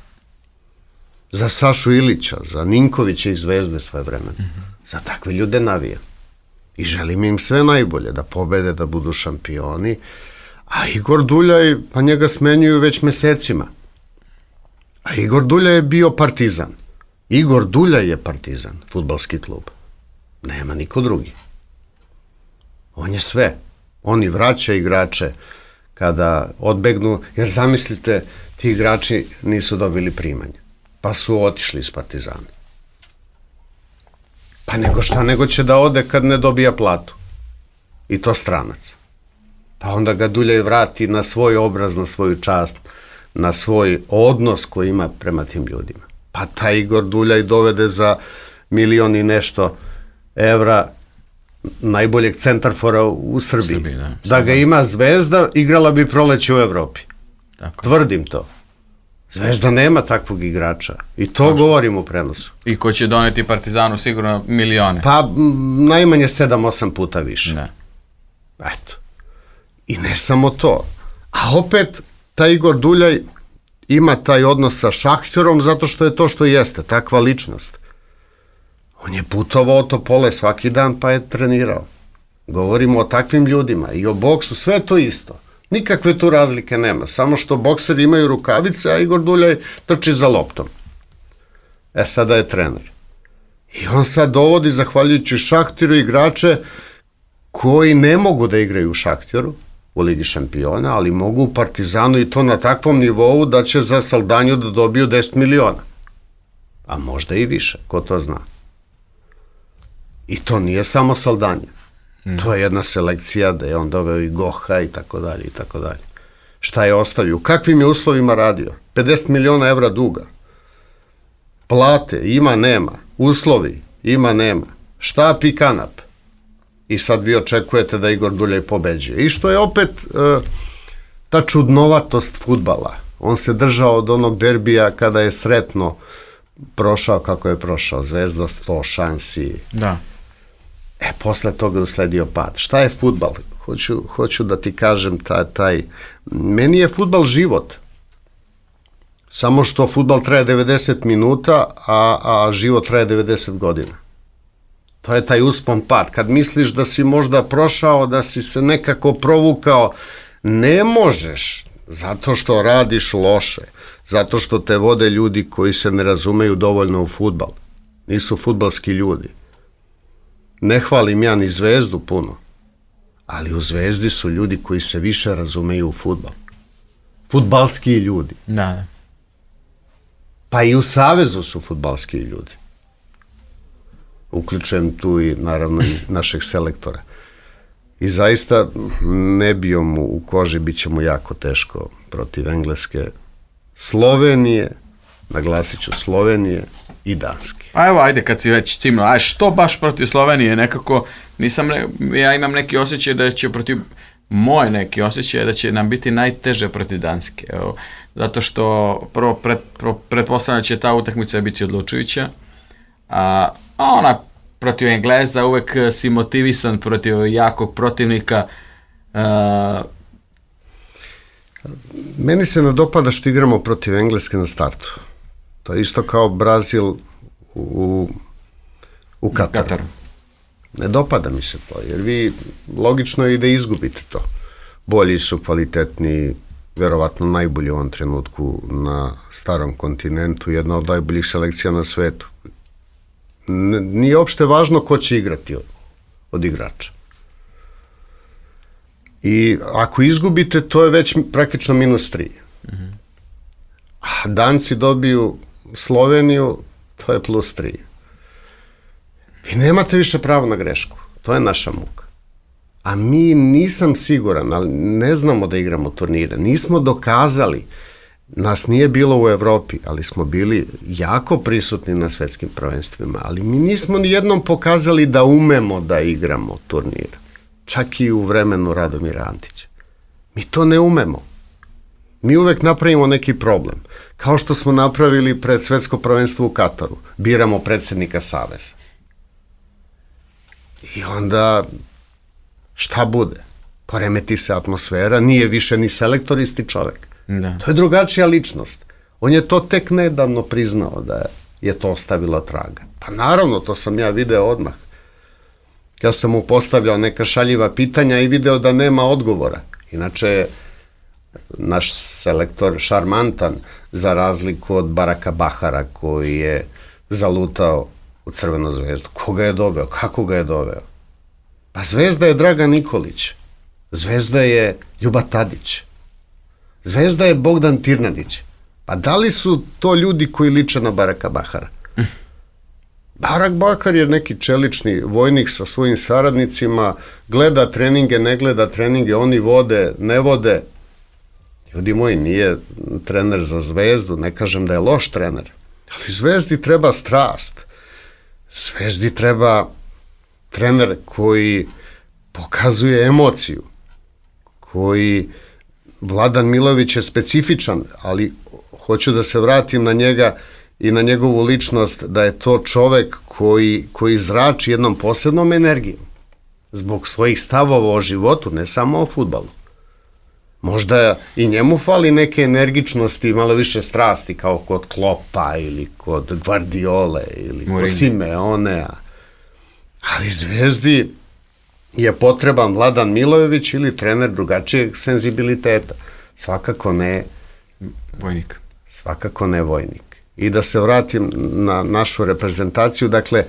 S3: Za Sašu Ilića, za Ninkovića i Zvezde svoje vremena. Mm-hmm. Za takve ljude navijam. I želim im sve najbolje, da pobede, da budu šampioni. A Igor Duljaj, pa njega smenjuju već mesecima. A Igor Duljaj je bio Partizan. Igor Duljaj je Partizan, fudbalski klub. Nema niko drugi. On je sve. Oni vraća igrače kada odbegnu, jer zamislite, ti igrači nisu dobili primanje, pa su otišli iz Partizana. Pa nego šta, nego će da ode kad ne dobija platu. I to stranac. Pa onda ga Duljaj vrati na svoj obraz, na svoju čast, na svoj odnos koji ima prema tim ljudima. Pa taj Igor Duljaj dovede za milion i nešto evra najboljeg centarfora u Srbiji. Srbiji da, da ga ima Zvezda, igrala bi proleće u Evropi. Tako. Tvrdim to. Zvezda nema takvog igrača. I to Tačno. Govorim u prenosu.
S2: I ko će doneti Partizanu sigurno milione.
S3: Pa m, najmanje sedam osam puta više.
S2: Ne.
S3: Eto. I ne samo to. A opet, taj Igor Duljaj ima taj odnos sa Šahtjorom zato što je to što jeste, takva ličnost. On je putovao Topole svaki dan pa je trenirao. Govorimo o takvim ljudima i o boksu, sve to isto. Nikakve tu razlike nema, samo što bokseri imaju rukavice, a Igor Duljaj trči za loptom. E sada je trener. I on sad dovodi, zahvaljujući Šahtjoru, igrače koji ne mogu da igraju u Šahtjoru, u Ligi šampiona, ali mogu u Partizanu i to na takvom nivou da će za Saldanju da dobiju deset miliona. A možda i više, ko to zna. I to nije samo Saldanja. Mm. To je jedna selekcija da je on doveo i Goha i tako dalje i tako dalje. Šta je ostavio? U kakvim je uslovima radio? pedeset miliona evra duga. Plate, ima, nema. Uslovi, ima, nema. Štap i kanap. I sad vi očekujete da Igor Duljaj pobeđuje. I što je opet uh, ta čudnovatost fudbala. On se držao od onog derbija kada je sretno prošao kako je prošao. Zvezda sto šansi.
S2: Da.
S3: E, posle toga je usledio pad. Šta je fudbal? Hoću, hoću da ti kažem taj, taj... Meni je fudbal život. Samo što fudbal traje devedeset minuta, a, a život traje devedeset godina. To je taj uspon pad. Kad misliš da si možda prošao, da si se nekako provukao, ne možeš, zato što radiš loše, zato što te vode ljudi koji se ne razumeju dovoljno u fudbal. Nisu fudbalski ljudi. Ne hvalim ja ni Zvezdu puno, ali u Zvezdi su ljudi koji se više razumeju u fudbal. Fudbalski ljudi.
S2: Da.
S3: Pa i u Savezu su fudbalski ljudi. Uključujem tu i naravno i našeg selektora. I zaista ne bio mu u koži, bit će mu jako teško protiv Engleske, Slovenije, naglasit ću Slovenije i Danske.
S2: A evo, ajde, kad si već cimno, aj što baš protiv Slovenije, nekako, nisam, ja imam neki osjećaj da će protiv, moj neki osjećaj da će nam biti najteže protiv Danske, evo, zato što prvo pred, pretpostavljam da će ta utakmica biti odlučujuća, a, a ona protiv Engleza uvek si motivisan protiv jakog protivnika. A...
S3: Meni se ne dopada što igramo protiv Engleske na startu. To je isto kao Brazil u, u Kataru. Kataru. Ne dopada mi se to, jer vi logično je i da izgubite to. Bolji su, kvalitetni, verovatno najbolji u ovom trenutku na starom kontinentu, jedna od najboljih selekcija na svetu. Nije uopšte važno ko će igrati od, od igrača. I ako izgubite, to je već praktično minus tri. Mm-hmm. A Danci dobiju Sloveniju, to je plus tri. Vi nemate više pravo na grešku. To je naša muka. A mi, nisam siguran, ali ne znamo da igramo turnire. Nismo dokazali. Nas nije bilo u Evropi, ali smo bili jako prisutni na svetskim prvenstvima, ali mi nismo ni jednom pokazali da umemo da igramo turnir. Čak i u vremenu Radomira Antića. Mi to ne umemo. Mi uvek napravimo neki problem. Kao što smo napravili pred svetsko prvenstvo u Kataru. Biramo predsjednika Saveza. I onda šta bude? Poremeti se atmosfera, nije više ni selektor, isti čovek. Da. To je drugačija ličnost. On je to tek nedavno priznao da je to ostavilo traga. Pa naravno, to sam ja video odmah. Ja sam mu postavljao neka šaljiva pitanja i video da nema odgovora. Inače je naš selektor šarmantan, za razliku od Baraka Bahara koji je zalutao u Crvenu zvezdu. Koga je doveo? Kako ga je doveo? Pa Zvezda je Dragan Nikolić. Zvezda je Ljuba Tadić. Zvezda je Bogdan Tirnadić. Pa da li su to ljudi koji liče na Baraka Bahara? Barak Bahar je neki čelični vojnik sa svojim saradnicima, gleda treninge, ne gleda treninge, oni vode, ne vode. Ljudi moji, nije trener za Zvezdu, ne kažem da je loš trener, ali Zvezdi treba strast. Zvezdi treba trener koji pokazuje emociju, koji... Vladan Milović je specifičan, ali hoću da se vratim na njega i na njegovu ličnost, da je to čovek koji, koji zrači jednom posebnom energijom zbog svojih stavova o životu, ne samo o fudbalu. Možda i njemu fali neke energičnosti, malo više strasti, kao kod Kloppa ili kod Guardiole ili
S2: Mourinho.
S3: kod Simeonea. Ali Zvezdi je potreban Vladan Milojević ili trener drugačijeg senzibiliteta. Svakako ne
S2: Vojnik.
S3: Svakako ne Vojnik. I da se vratim na našu reprezentaciju, dakle,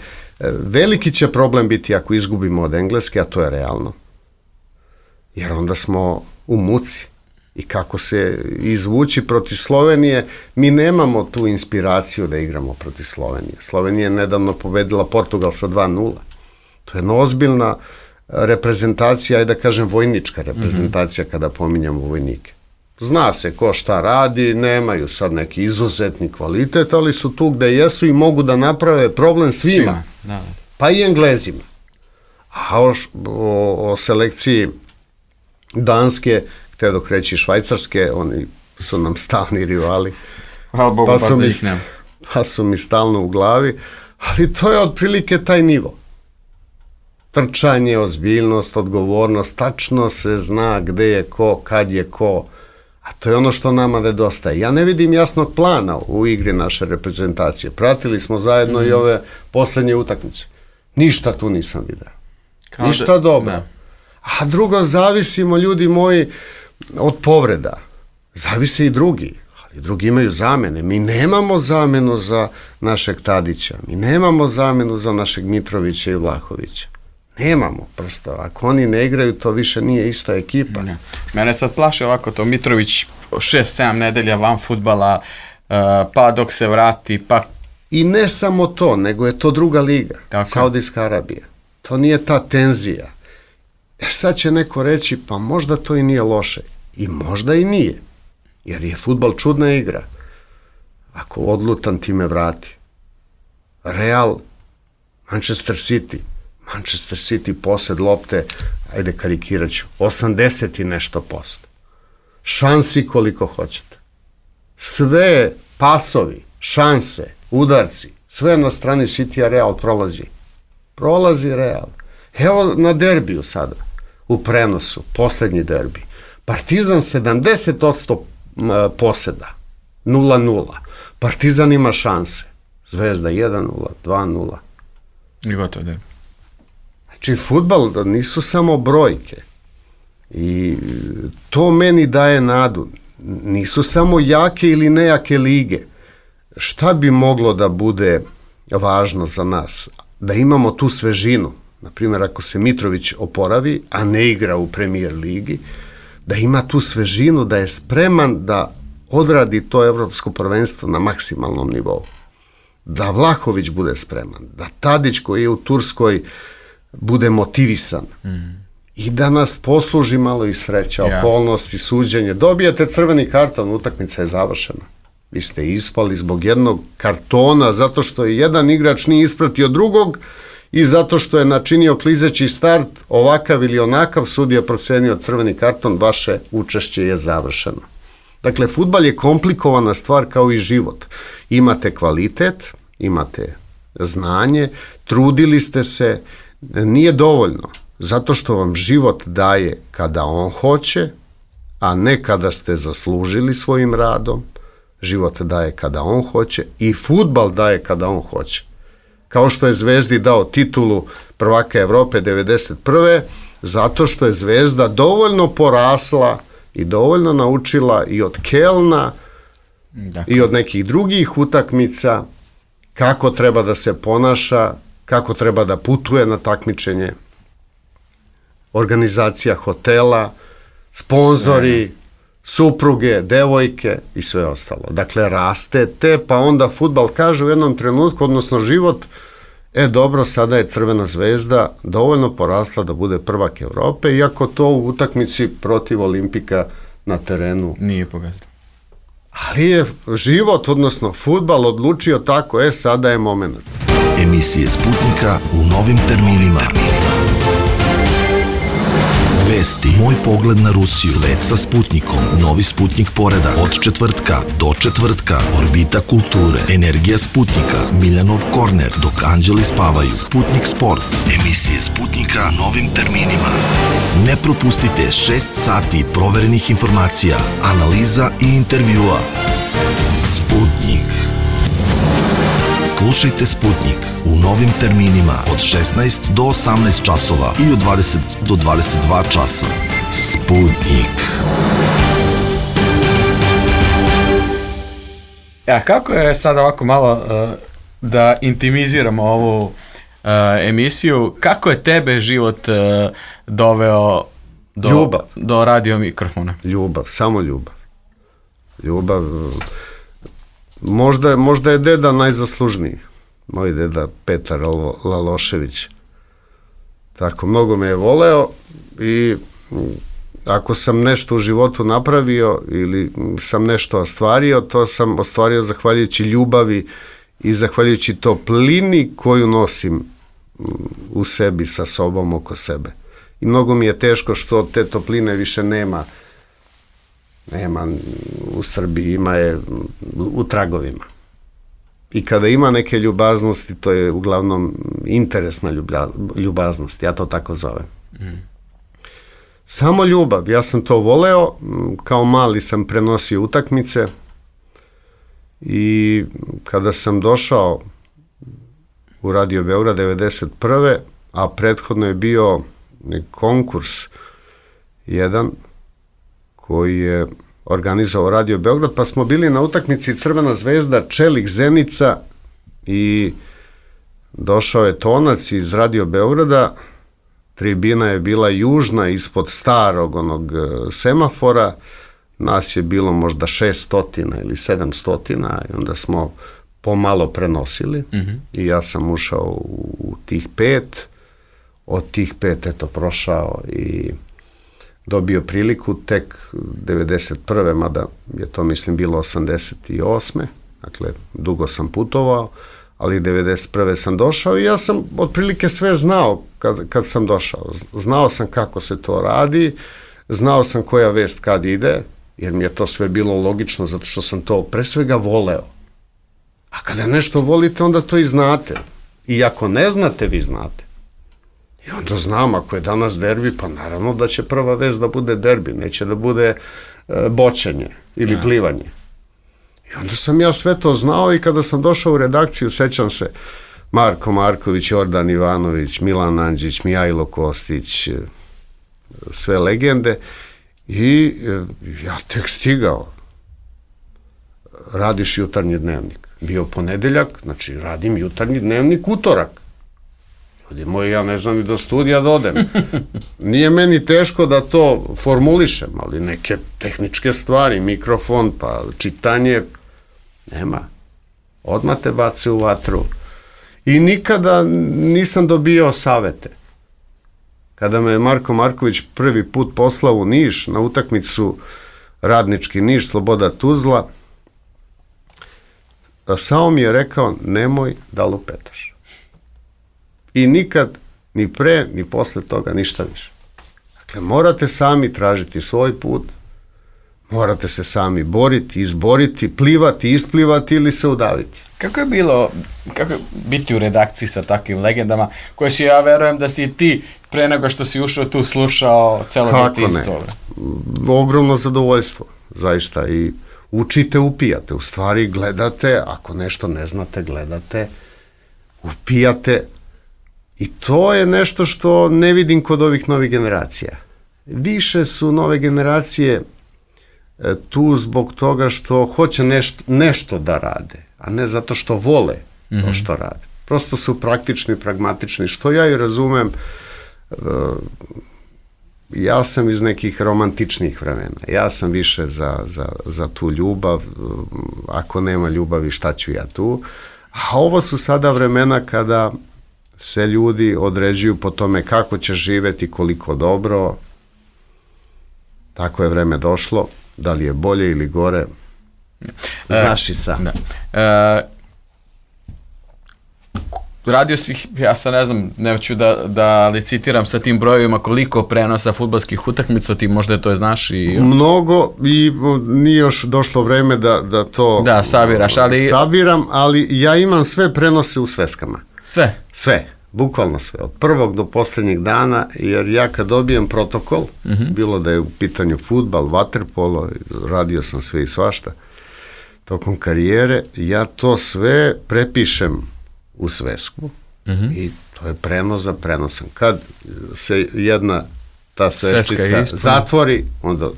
S3: veliki će problem biti ako izgubimo od Engleske, a to je realno. Jer onda smo u muci. I kako se izvući protiv Slovenije, mi nemamo tu inspiraciju da igramo protiv Slovenije. Slovenija je nedavno pobedila Portugal sa dva nula. To je jedna ozbiljna reprezentacija, ajde da kažem vojnička reprezentacija, mm-hmm. kada pominjamo vojnike. Zna se ko šta radi, nemaju sad neki izuzetni kvalitet, ali su tu gde jesu i mogu da naprave problem svima. svima. Da. Pa i Englezima. A o, o, o selekciji Danske, te dok reći Švajcarske, oni su nam stalni rivali.
S2: Hvala Bogu,
S3: pa, su mi,
S2: pa,
S3: pa su mi stalno u glavi, ali to je otprilike taj nivo. Trčanje, ozbiljnost, odgovornost, tačno se zna gde je ko, kad je ko, a to je ono što nama nedostaje. Ja ne vidim jasnog plana u igri naše reprezentacije. Pratili smo zajedno mm. i ove poslednje utakmice. Ništa tu nisam vidio. Kao Ništa da, dobro. Ne. A drugo, zavisimo, ljudi moji, od povreda. Zavise i drugi. Ali drugi imaju zamene. Mi nemamo zamenu za našeg Tadića. Mi nemamo zamenu za našeg Mitrovića i Vlahovića. Nemamo, prosto. Ako oni ne igraju, to više nije ista ekipa.
S2: Ne. Mene sad plaše ovako to Mitrović šest sedam nedelja van fudbala, uh, pa dok se vrati, pa...
S3: I ne samo to, nego je to druga liga.
S2: Tako.
S3: Saudijska Arabija. To nije ta tenzija. E sad će neko reći, pa možda to i nije loše. I možda i nije. Jer je fudbal čudna igra. Ako odlutan, ti me vrati. Real, Manchester City, Manchester City posed lopte, ajde karikiraću, osamdeset i nešto posto. Šansi koliko hoćete. Sve pasovi, šanse, udarci, sve na strani City-a Real prolazi. Prolazi Real. Evo na derbiju sada, u prenosu, poslednji derbi. Partizan sedamdeset posto poseda, nula nula. Partizan ima šanse. Zvezda jedan nula, dva nula.
S2: I gotovo derbi.
S3: Znači, fudbal nisu samo brojke. I to meni daje nadu. Nisu samo jake ili nejake lige. Šta bi moglo da bude važno za nas? Da imamo tu svežinu. Naprimjer, ako se Mitrović oporavi, a ne igra u Premier ligi, da ima tu svežinu, da je spreman da odradi to evropsko prvenstvo na maksimalnom nivou. Da Vlahović bude spreman, da Tadić koji je u Turskoj bude motivisan mm. i da nas posluži malo i sreća, yes. okolnosti, suđenje. Dobijete crveni karton, utakmica je završena. Vi ste ispali zbog jednog kartona, zato što je jedan igrač nije ispratio drugog i zato što je načinio klizeći start, ovakav ili onakav, sudija procenio crveni karton, vaše učešće je završeno. Dakle, fudbal je komplikovana stvar kao i život. Imate kvalitet, imate znanje, trudili ste se, nije dovoljno, zato što vam život daje kada on hoće, a ne kada ste zaslužili svojim radom. Život daje kada on hoće i fudbal daje kada on hoće. Kao što je Zvezdi dao titulu prvaka Evrope devedeset prve zato što je Zvezda dovoljno porasla i dovoljno naučila i od Kelna dakle. I od nekih drugih utakmica kako treba da se ponaša, kako treba da putuje na takmičenje, organizacija hotela, sponzori, supruge, devojke i sve ostalo. Dakle, rastete, pa onda fudbal kaže u jednom trenutku, odnosno život, e dobro, sada je Crvena zvezda dovoljno porasla da bude prvak Evrope, iako to u utakmici protiv Olimpika na terenu
S2: nije pogazilo.
S3: Ali je život, odnosno fudbal odlučio tako, e sada je moment.
S1: Emisije Sputnika u novim terminima. Vesti, moj pogled na Rusiju, svet sa Sputnikom, novi Sputnik poredak, od četvrtka do četvrtka, orbita kulture, energija Sputnika, Miljanov korner, dok anđeli spavaju, Sputnik sport, emisije Sputnika u novim terminima. Ne propustite šest sati proverenih informacija, analiza i intervjua. Sputnik. Slušajte Sputnik u novim terminima od šesnaest do osamnaest časova i od dvadeset do dvadeset dva časa. Sputnik.
S2: Ja, kako je sad ovako malo uh, da intimiziramo ovu uh, emisiju, kako je tebe život uh, doveo do,
S3: Ljubav.
S2: do radio mikrofona?
S3: Ljubav, samo ljubav. Ljubav. Možda, možda je deda najzaslužniji. Moj deda Petar Lalošević. Tako, mnogo me je voleo i ako sam nešto u životu napravio ili sam nešto ostvario, to sam ostvario zahvaljujući ljubavi i zahvaljujući toplini koju nosim u sebi, sa sobom, oko sebe. I mnogo mi je teško što te topline više nema. Nema u Srbiji, ima je u tragovima. I kada ima neke ljubaznosti, to je uglavnom interesna ljublja, ljubaznost, ja to tako zovem. Mm. Samo ljubav, ja sam to voleo, kao mali sam prenosio utakmice i kada sam došao u Radio Beograd devedeset prve a prethodno je bio konkurs jedan koji je organizovao Radio Beograd, pa smo bili na utakmici Crvena zvezda, Čelik, Zenica i došao je tonac iz Radio Beograda, tribina je bila južna ispod starog onog semafora, nas je bilo možda šeststotina ili sedamstotina i onda smo pomalo prenosili mm-hmm. i ja sam ušao u, u tih pet, od tih pet eto prošao i dobio priliku tek devedeset prve mada je to mislim bilo osamdeset osme dakle dugo sam putovao, ali devedeset prve sam došao i ja sam otprilike sve znao kad, kad sam došao. Znao sam kako se to radi, znao sam koja vest kad ide, jer mi je to sve bilo logično zato što sam to pre svega voleo. A kada nešto volite, onda to i znate. I ako ne znate, vi znate. I onda znam, ako je danas derbi, pa naravno da će prva vest da bude derbi, neće da bude e, boćanje ili ja. plivanje. I onda sam ja sve to znao i kada sam došao u redakciju, sećam se, Marko Marković, Jordan Ivanović, Milan Andžić, Mijajlo Kostić, sve legende i ja tek stigao. Radiš jutarnji dnevnik. Bio ponedeljak, znači radim jutarnji dnevnik utorak. Ljudi moji, ja ne znam i do studija da odem. Nije meni teško da to formulišem, ali neke tehničke stvari, mikrofon, pa čitanje, nema. Odmah te bace u vatru. I nikada nisam dobio savete. Kada me Marko Marković prvi put poslao u Niš, na utakmicu Radnički Niš, Sloboda Tuzla, samo mi je rekao, nemoj da lupetaš. I nikad, ni pre, ni posle toga, ništa više. Dakle, morate sami tražiti svoj put, morate se sami boriti, izboriti, plivati, isplivati ili se udaviti.
S2: Kako je bilo, kako je biti u redakciji sa takvim legendama, koje si, ja verujem da si ti pre nego što si ušao tu slušao celo detinjstvo?
S3: Ogromno zadovoljstvo, zaista. I učite, upijate. U stvari gledate, ako nešto ne znate, gledate, upijate. I to je nešto što ne vidim kod ovih novih generacija. Više su nove generacije e, tu zbog toga što hoće nešto, nešto da rade, a ne zato što vole mm-hmm. to što rade. Prosto su praktični, pragmatični, što ja i razumem. E, ja sam iz nekih romantičnih vremena. Ja sam više za, za, za tu ljubav. Ako nema ljubavi, šta ću ja tu? A ovo su sada vremena kada se ljudi određuju po tome kako će živeti, koliko dobro. Tako je vreme došlo. Da li je bolje ili gore, znaš i sam.
S2: E, radio si, ja sad ne znam, neću da, da licitiram sa tim brojevima koliko prenosa fudbalskih utakmica, ti možda to znaš i...
S3: Mnogo i nije još došlo vreme da, da to
S2: da, sabiraš, ali...
S3: sabiram, ali ja imam sve prenose u sveskama.
S2: Sve?
S3: Sve. Bukvalno sve, od prvog do posljednjeg dana, jer ja kad dobijem protokol, mm-hmm. bilo da je u pitanju fudbal, vaterpolo, radio sam sve i svašta, tokom karijere, ja to sve prepišem u svesku mm-hmm. i to je prenos za prenosom. Kad se jedna ta sveščica zatvori, onda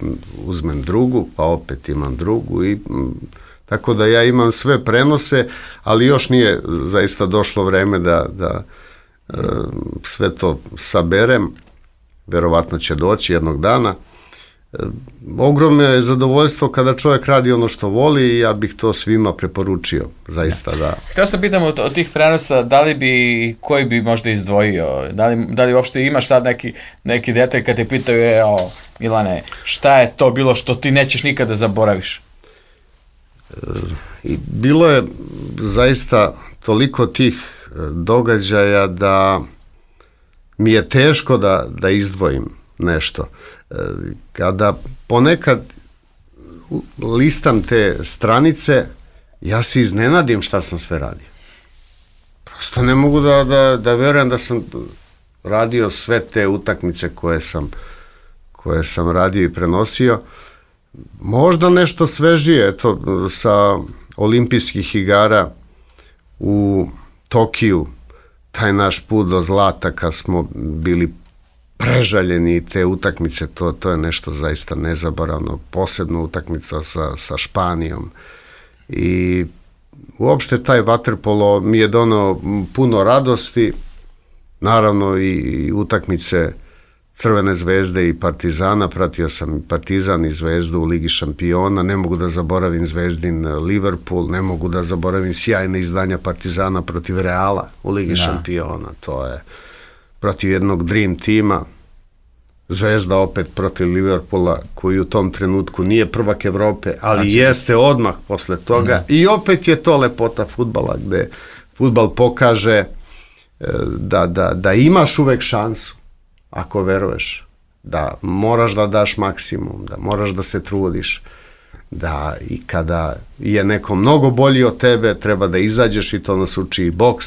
S3: uzmem drugu, pa opet imam drugu i tako da ja imam sve prenose, ali još nije zaista došlo vreme da, da e, sve to saberem, verovatno će doći jednog dana. E, ogromno je zadovoljstvo kada čovjek radi ono što voli i ja bih to svima preporučio, zaista da.
S2: Htio sam pitam od, od tih prenosa, da li bi, koji bi možda izdvojio, da li, da li uopšte imaš sad neki, neki detalj kad te pitaju, e, o, Milane, šta je to bilo što ti nećeš nikada zaboraviš?
S3: I bilo je zaista toliko tih događaja da mi je teško da, da izdvojim nešto. Kada ponekad listam te stranice, ja se iznenadim šta sam sve radio. Prosto ne mogu da, da, da verujem da sam radio sve te utakmice koje sam, koje sam radio i prenosio. Možda nešto svežije, eto, sa olimpijskih igara u Tokiju, taj naš put do zlata kad smo bili prežaljeni te utakmice, to, to je nešto zaista nezaboravno, posebno utakmica sa, sa Španijom. I uopšte taj vaterpolo mi je donao puno radosti, naravno i, i utakmice Crvene zvezde i Partizana, pratio sam i Partizan i Zvezdu u Ligi šampiona, ne mogu da zaboravim Zvezdin Liverpool, ne mogu da zaboravim sjajne izdanja Partizana protiv Reala u Ligi da. šampiona, to je protiv jednog dream tima, Zvezda opet protiv Liverpoola koji u tom trenutku nije prvak Evrope, ali znači, jeste odmah posle toga da. I opet je to lepota fudbala gde fudbal pokaže da, da, da imaš uvek šansu ako veruješ, da moraš da daš maksimum, da moraš da se trudiš, da i kada je neko mnogo bolji od tebe, treba da izađeš i to nas uči i boks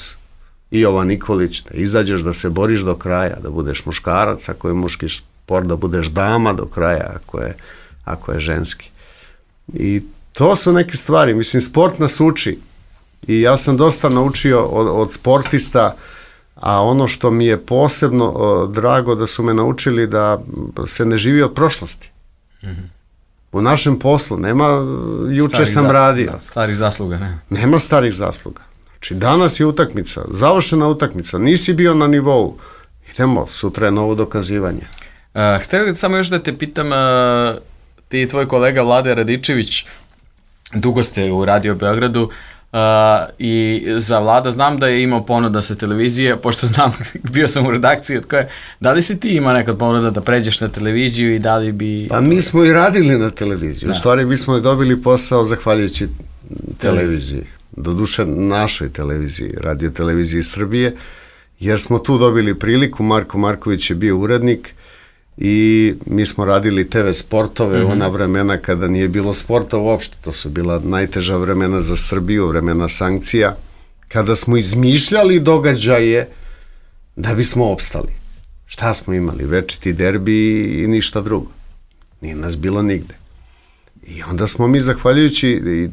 S3: i Jovan Nikolić, da izađeš, da se boriš do kraja, da budeš muškarac, ako je muški sport, da budeš dama do kraja, ako je, ako je ženski. I to su neke stvari, mislim, sport nas uči i ja sam dosta naučio od, od sportista. A ono što mi je posebno o, drago da su me naučili da se ne živi od prošlosti. Mm-hmm. U našem poslu nema juče starih sam za, radio. Da,
S2: starih zasluga, ne?
S3: Nema starih zasluga. Znači danas je utakmica, završena utakmica, nisi bio na nivou. Idemo, sutra je novo dokazivanje.
S2: Uh, htio samo još da te pitam, uh, ti i tvoj kolega Vlade Radičević, dugo ste u Radio Beogradu, Uh, i za Vlada znam da je imao ponuda sa televizije, pošto znam, bio sam u redakciji od koje, da li si ti imao nekad ponuda da pređeš na televiziju i da li bi...
S3: Pa mi smo i radili na televiziji, da. U stvari mi smo dobili posao zahvaljujući televiziji, doduše našoj televiziji, Radio televiziji Srbije, jer smo tu dobili priliku, Marko Marković je bio urednik i mi smo radili te ve sportove, mm-hmm. ona vremena kada nije bilo sporta uopšte, to su bila najteža vremena za Srbiju, vremena sankcija, kada smo izmišljali događaje da bismo opstali. Šta smo imali? Večiti derbi i ništa drugo. Nije nas bilo nigde. I onda smo mi, zahvaljujući i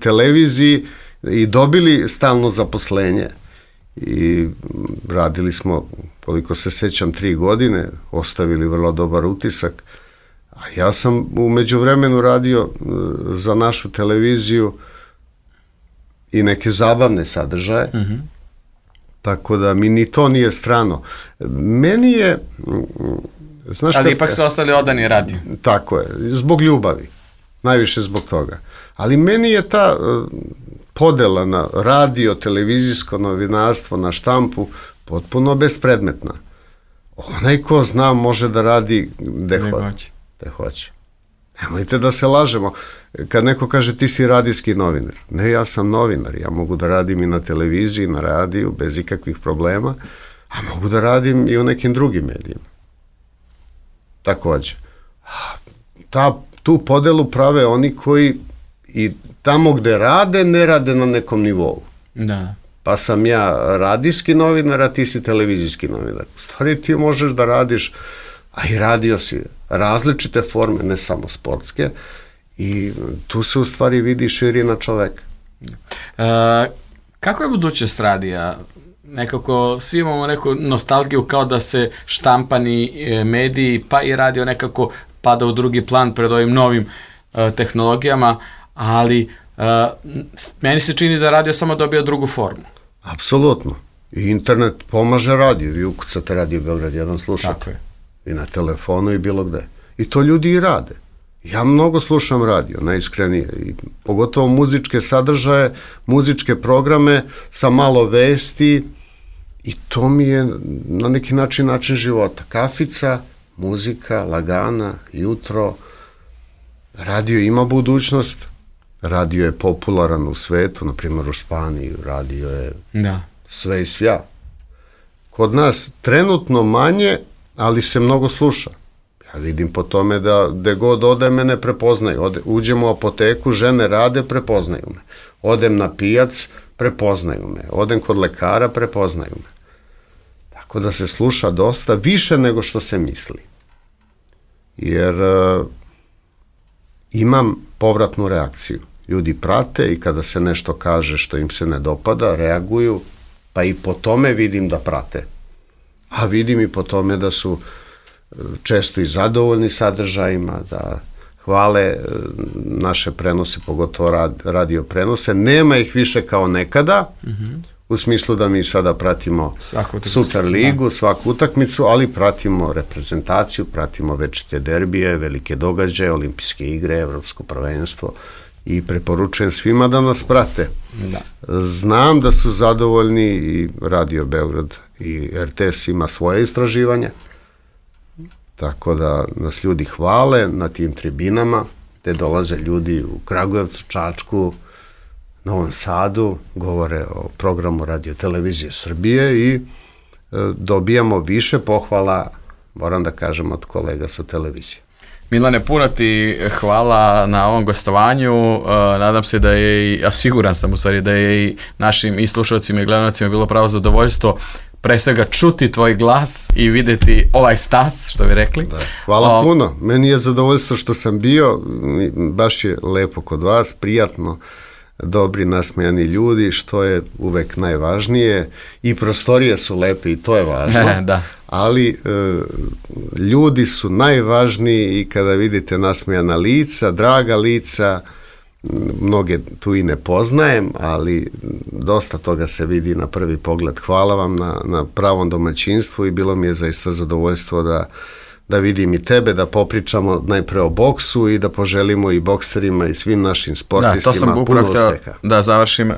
S3: televiziji, i dobili stalno zaposlenje i radili smo, koliko se sećam, tri godine, ostavili vrlo dobar utisak, a ja sam u međuvremenu radio za našu televiziju i neke zabavne sadržaje, mm-hmm. tako da mi ni to nije strano. Meni je... Znaš,
S2: ali
S3: kad,
S2: ipak su ostali odani radio.
S3: Tako je, zbog ljubavi, najviše zbog toga. Ali meni je ta podela na radio, televizijsko novinarstvo, na štampu, potpuno bespredmetna. Onaj ko zna može da radi gde hoće. Gde hoće. Nemojte da se lažemo. Kad neko kaže ti si radijski novinar. Ne, ja sam novinar. Ja mogu da radim i na televiziji, na radiju, bez ikakvih problema, a mogu da radim i u nekim drugim medijima. Takođe. Ta, tu podelu prave oni koji i tamo gde rade, ne rade na nekom nivou.
S2: Da.
S3: pa sam ja radijski novinar, a ti si televizijski novinar. U stvari ti možeš da radiš, a i radio si različite forme, ne samo sportske, i tu se u stvari vidi širina čoveka.
S2: E, kako je budućnost radija? Nekako svi imamo neku nostalgiju kao da se štampani mediji pa i radio nekako pada u drugi plan pred ovim novim uh, tehnologijama, ali uh, meni se čini da radio samo dobija drugu formu.
S3: Apsolutno. I internet pomaže radio. Vi ukucate Radio Beograd jedan, slušate.
S2: Tako je.
S3: I na telefonu i bilo gde. I to ljudi i rade. Ja mnogo slušam radio, najiskrenije. I pogotovo muzičke sadržaje, muzičke programe sa malo vesti, i to mi je na neki način način života. Kafica, muzika, lagana, jutro. Radio ima budućnost. Radio je popularan u svetu, na primjer u Španiji. Radio je
S2: da. Sve
S3: i svja. Kod nas trenutno manje, ali se mnogo sluša. Ja vidim po tome da gde god ode mene prepoznaju. Ode, uđem u apoteku, žene rade, prepoznaju me. Odem na pijac, prepoznaju me. Odem kod lekara, prepoznaju me. Tako da se sluša dosta, više nego što se misli. Jer uh, imam povratnu reakciju. Ljudi prate i kada se nešto kaže što im se ne dopada, reaguju, pa i po tome vidim da prate. A vidim i po tome da su često i zadovoljni sadržajima, da hvale naše prenose, pogotovo rad, radio prenose. Nema ih više kao nekada, mm-hmm. u smislu da mi sada pratimo Super ligu, da. Svaku utakmicu, ali pratimo reprezentaciju, pratimo večite derbije, velike događaje, olimpijske igre, evropsko prvenstvo, i preporučujem svima da nas prate. Da. Znam da su zadovoljni i Radio Beograd i er te es ima svoje istraživanja, tako da nas ljudi hvale na tim tribinama, gde dolaze ljudi u Kragujevcu, Čačku, Novom Sadu, govore o programu Radio Televizije Srbije i e, dobijamo više pohvala, moram da kažem, od kolega sa televizije.
S2: Milane, puno ti hvala na ovom gostovanju. Uh, nadam se da je, i, a siguran sam u stvari da je i našim i slušalcima i gledalcima bilo pravo zadovoljstvo pre svega čuti tvoj glas i videti ovaj stas, što bi rekli. Da.
S3: Hvala o... puno. Meni je zadovoljstvo što sam bio. Baš je lepo kod vas, prijatno, dobri, nasmejani ljudi, što je uvek najvažnije. I prostorije su lepe i to je važno.
S2: Da.
S3: Ali e, ljudi su najvažniji i kada vidite nasmejana lica, draga lica, mnoge tu i ne poznajem, ali dosta toga se vidi na prvi pogled. Hvala vam na, na pravom domaćinstvu i bilo mi je zaista zadovoljstvo da, da vidim i tebe, da popričamo najpre o boksu i da poželimo i bokserima i svim našim sportistima puno uspeha.
S2: Da završim, uh,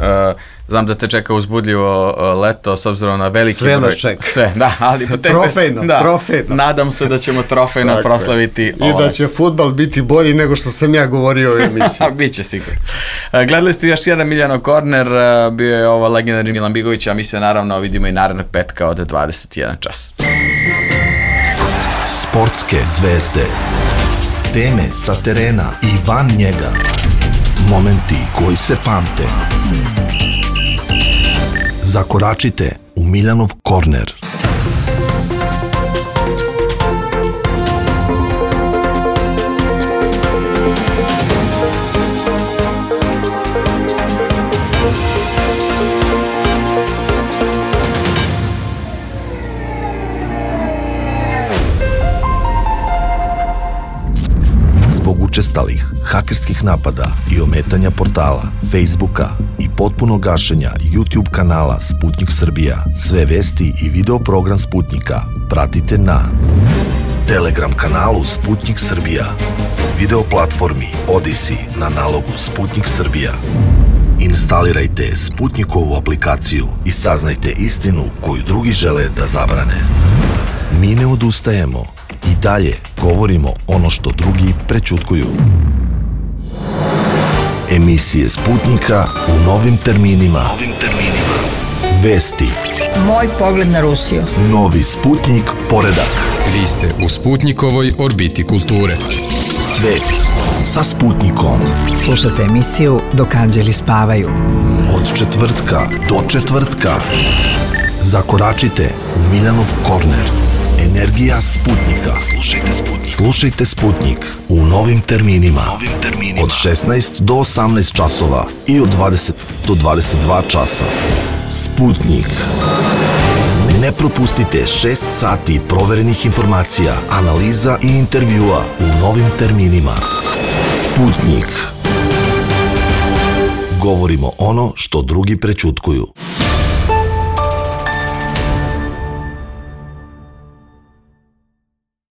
S2: znam da te čeka uzbudljivo uh, leto s obzirom na veliki
S3: sve broj. Sve nas čeka.
S2: Sve, da, ali po tebe,
S3: trofejno,
S2: da,
S3: trofejno.
S2: Nadam se da ćemo trofejno proslaviti.
S3: I ovaj. Da će fudbal biti bolji nego što sam ja govorio u emisiji.
S2: Biće sigurno. Uh, gledali ste još jedan Miljanov korner, uh, bio je ovo legendarni Milan Bigović, a mi se naravno vidimo i narednog petka od dvadeset jedan čas.
S1: Sportske zvezde, teme sa terena i van njega, momenti koji se pamte. Zakoračite u Miljanov korner. Učestalih hakerskih napada i ometanja portala, Facebooka i potpuno gašenja YouTube kanala Sputnik Srbija, sve vesti i video program Sputnika pratite na Telegram kanalu Sputnik Srbija, video platformi Odyssey na nalogu Sputnik Srbija. Instalirajte Sputnikovu aplikaciju i saznajte istinu koju drugi žele da zabrane. Mi ne odustajemo. I dalje govorimo ono što drugi prećutkuju. Emisije Sputnika u novim terminima. Novim terminima. Vesti.
S4: Moj pogled na Rusiju.
S1: Novi Sputnik poredak.
S5: Vi ste u Sputnikovoj orbiti kulture.
S1: svet sa Sputnikom.
S4: Slušajte emisiju Dok anđeli spavaju.
S1: Od četvrtka do četvrtka. Zakoračite u Miljanov korner. Energija Sputnika. Slušajte Sputnik. Slušajte Sputnik u novim terminima. Novim terminima. Od šesnaest do osamnaest časova i od dvadeset do dvadeset dva časa. Sputnik. Ne propustite šest sati proverenih informacija, analiza i intervjua u novim terminima. Sputnik. Govorimo ono što drugi prećutkuju.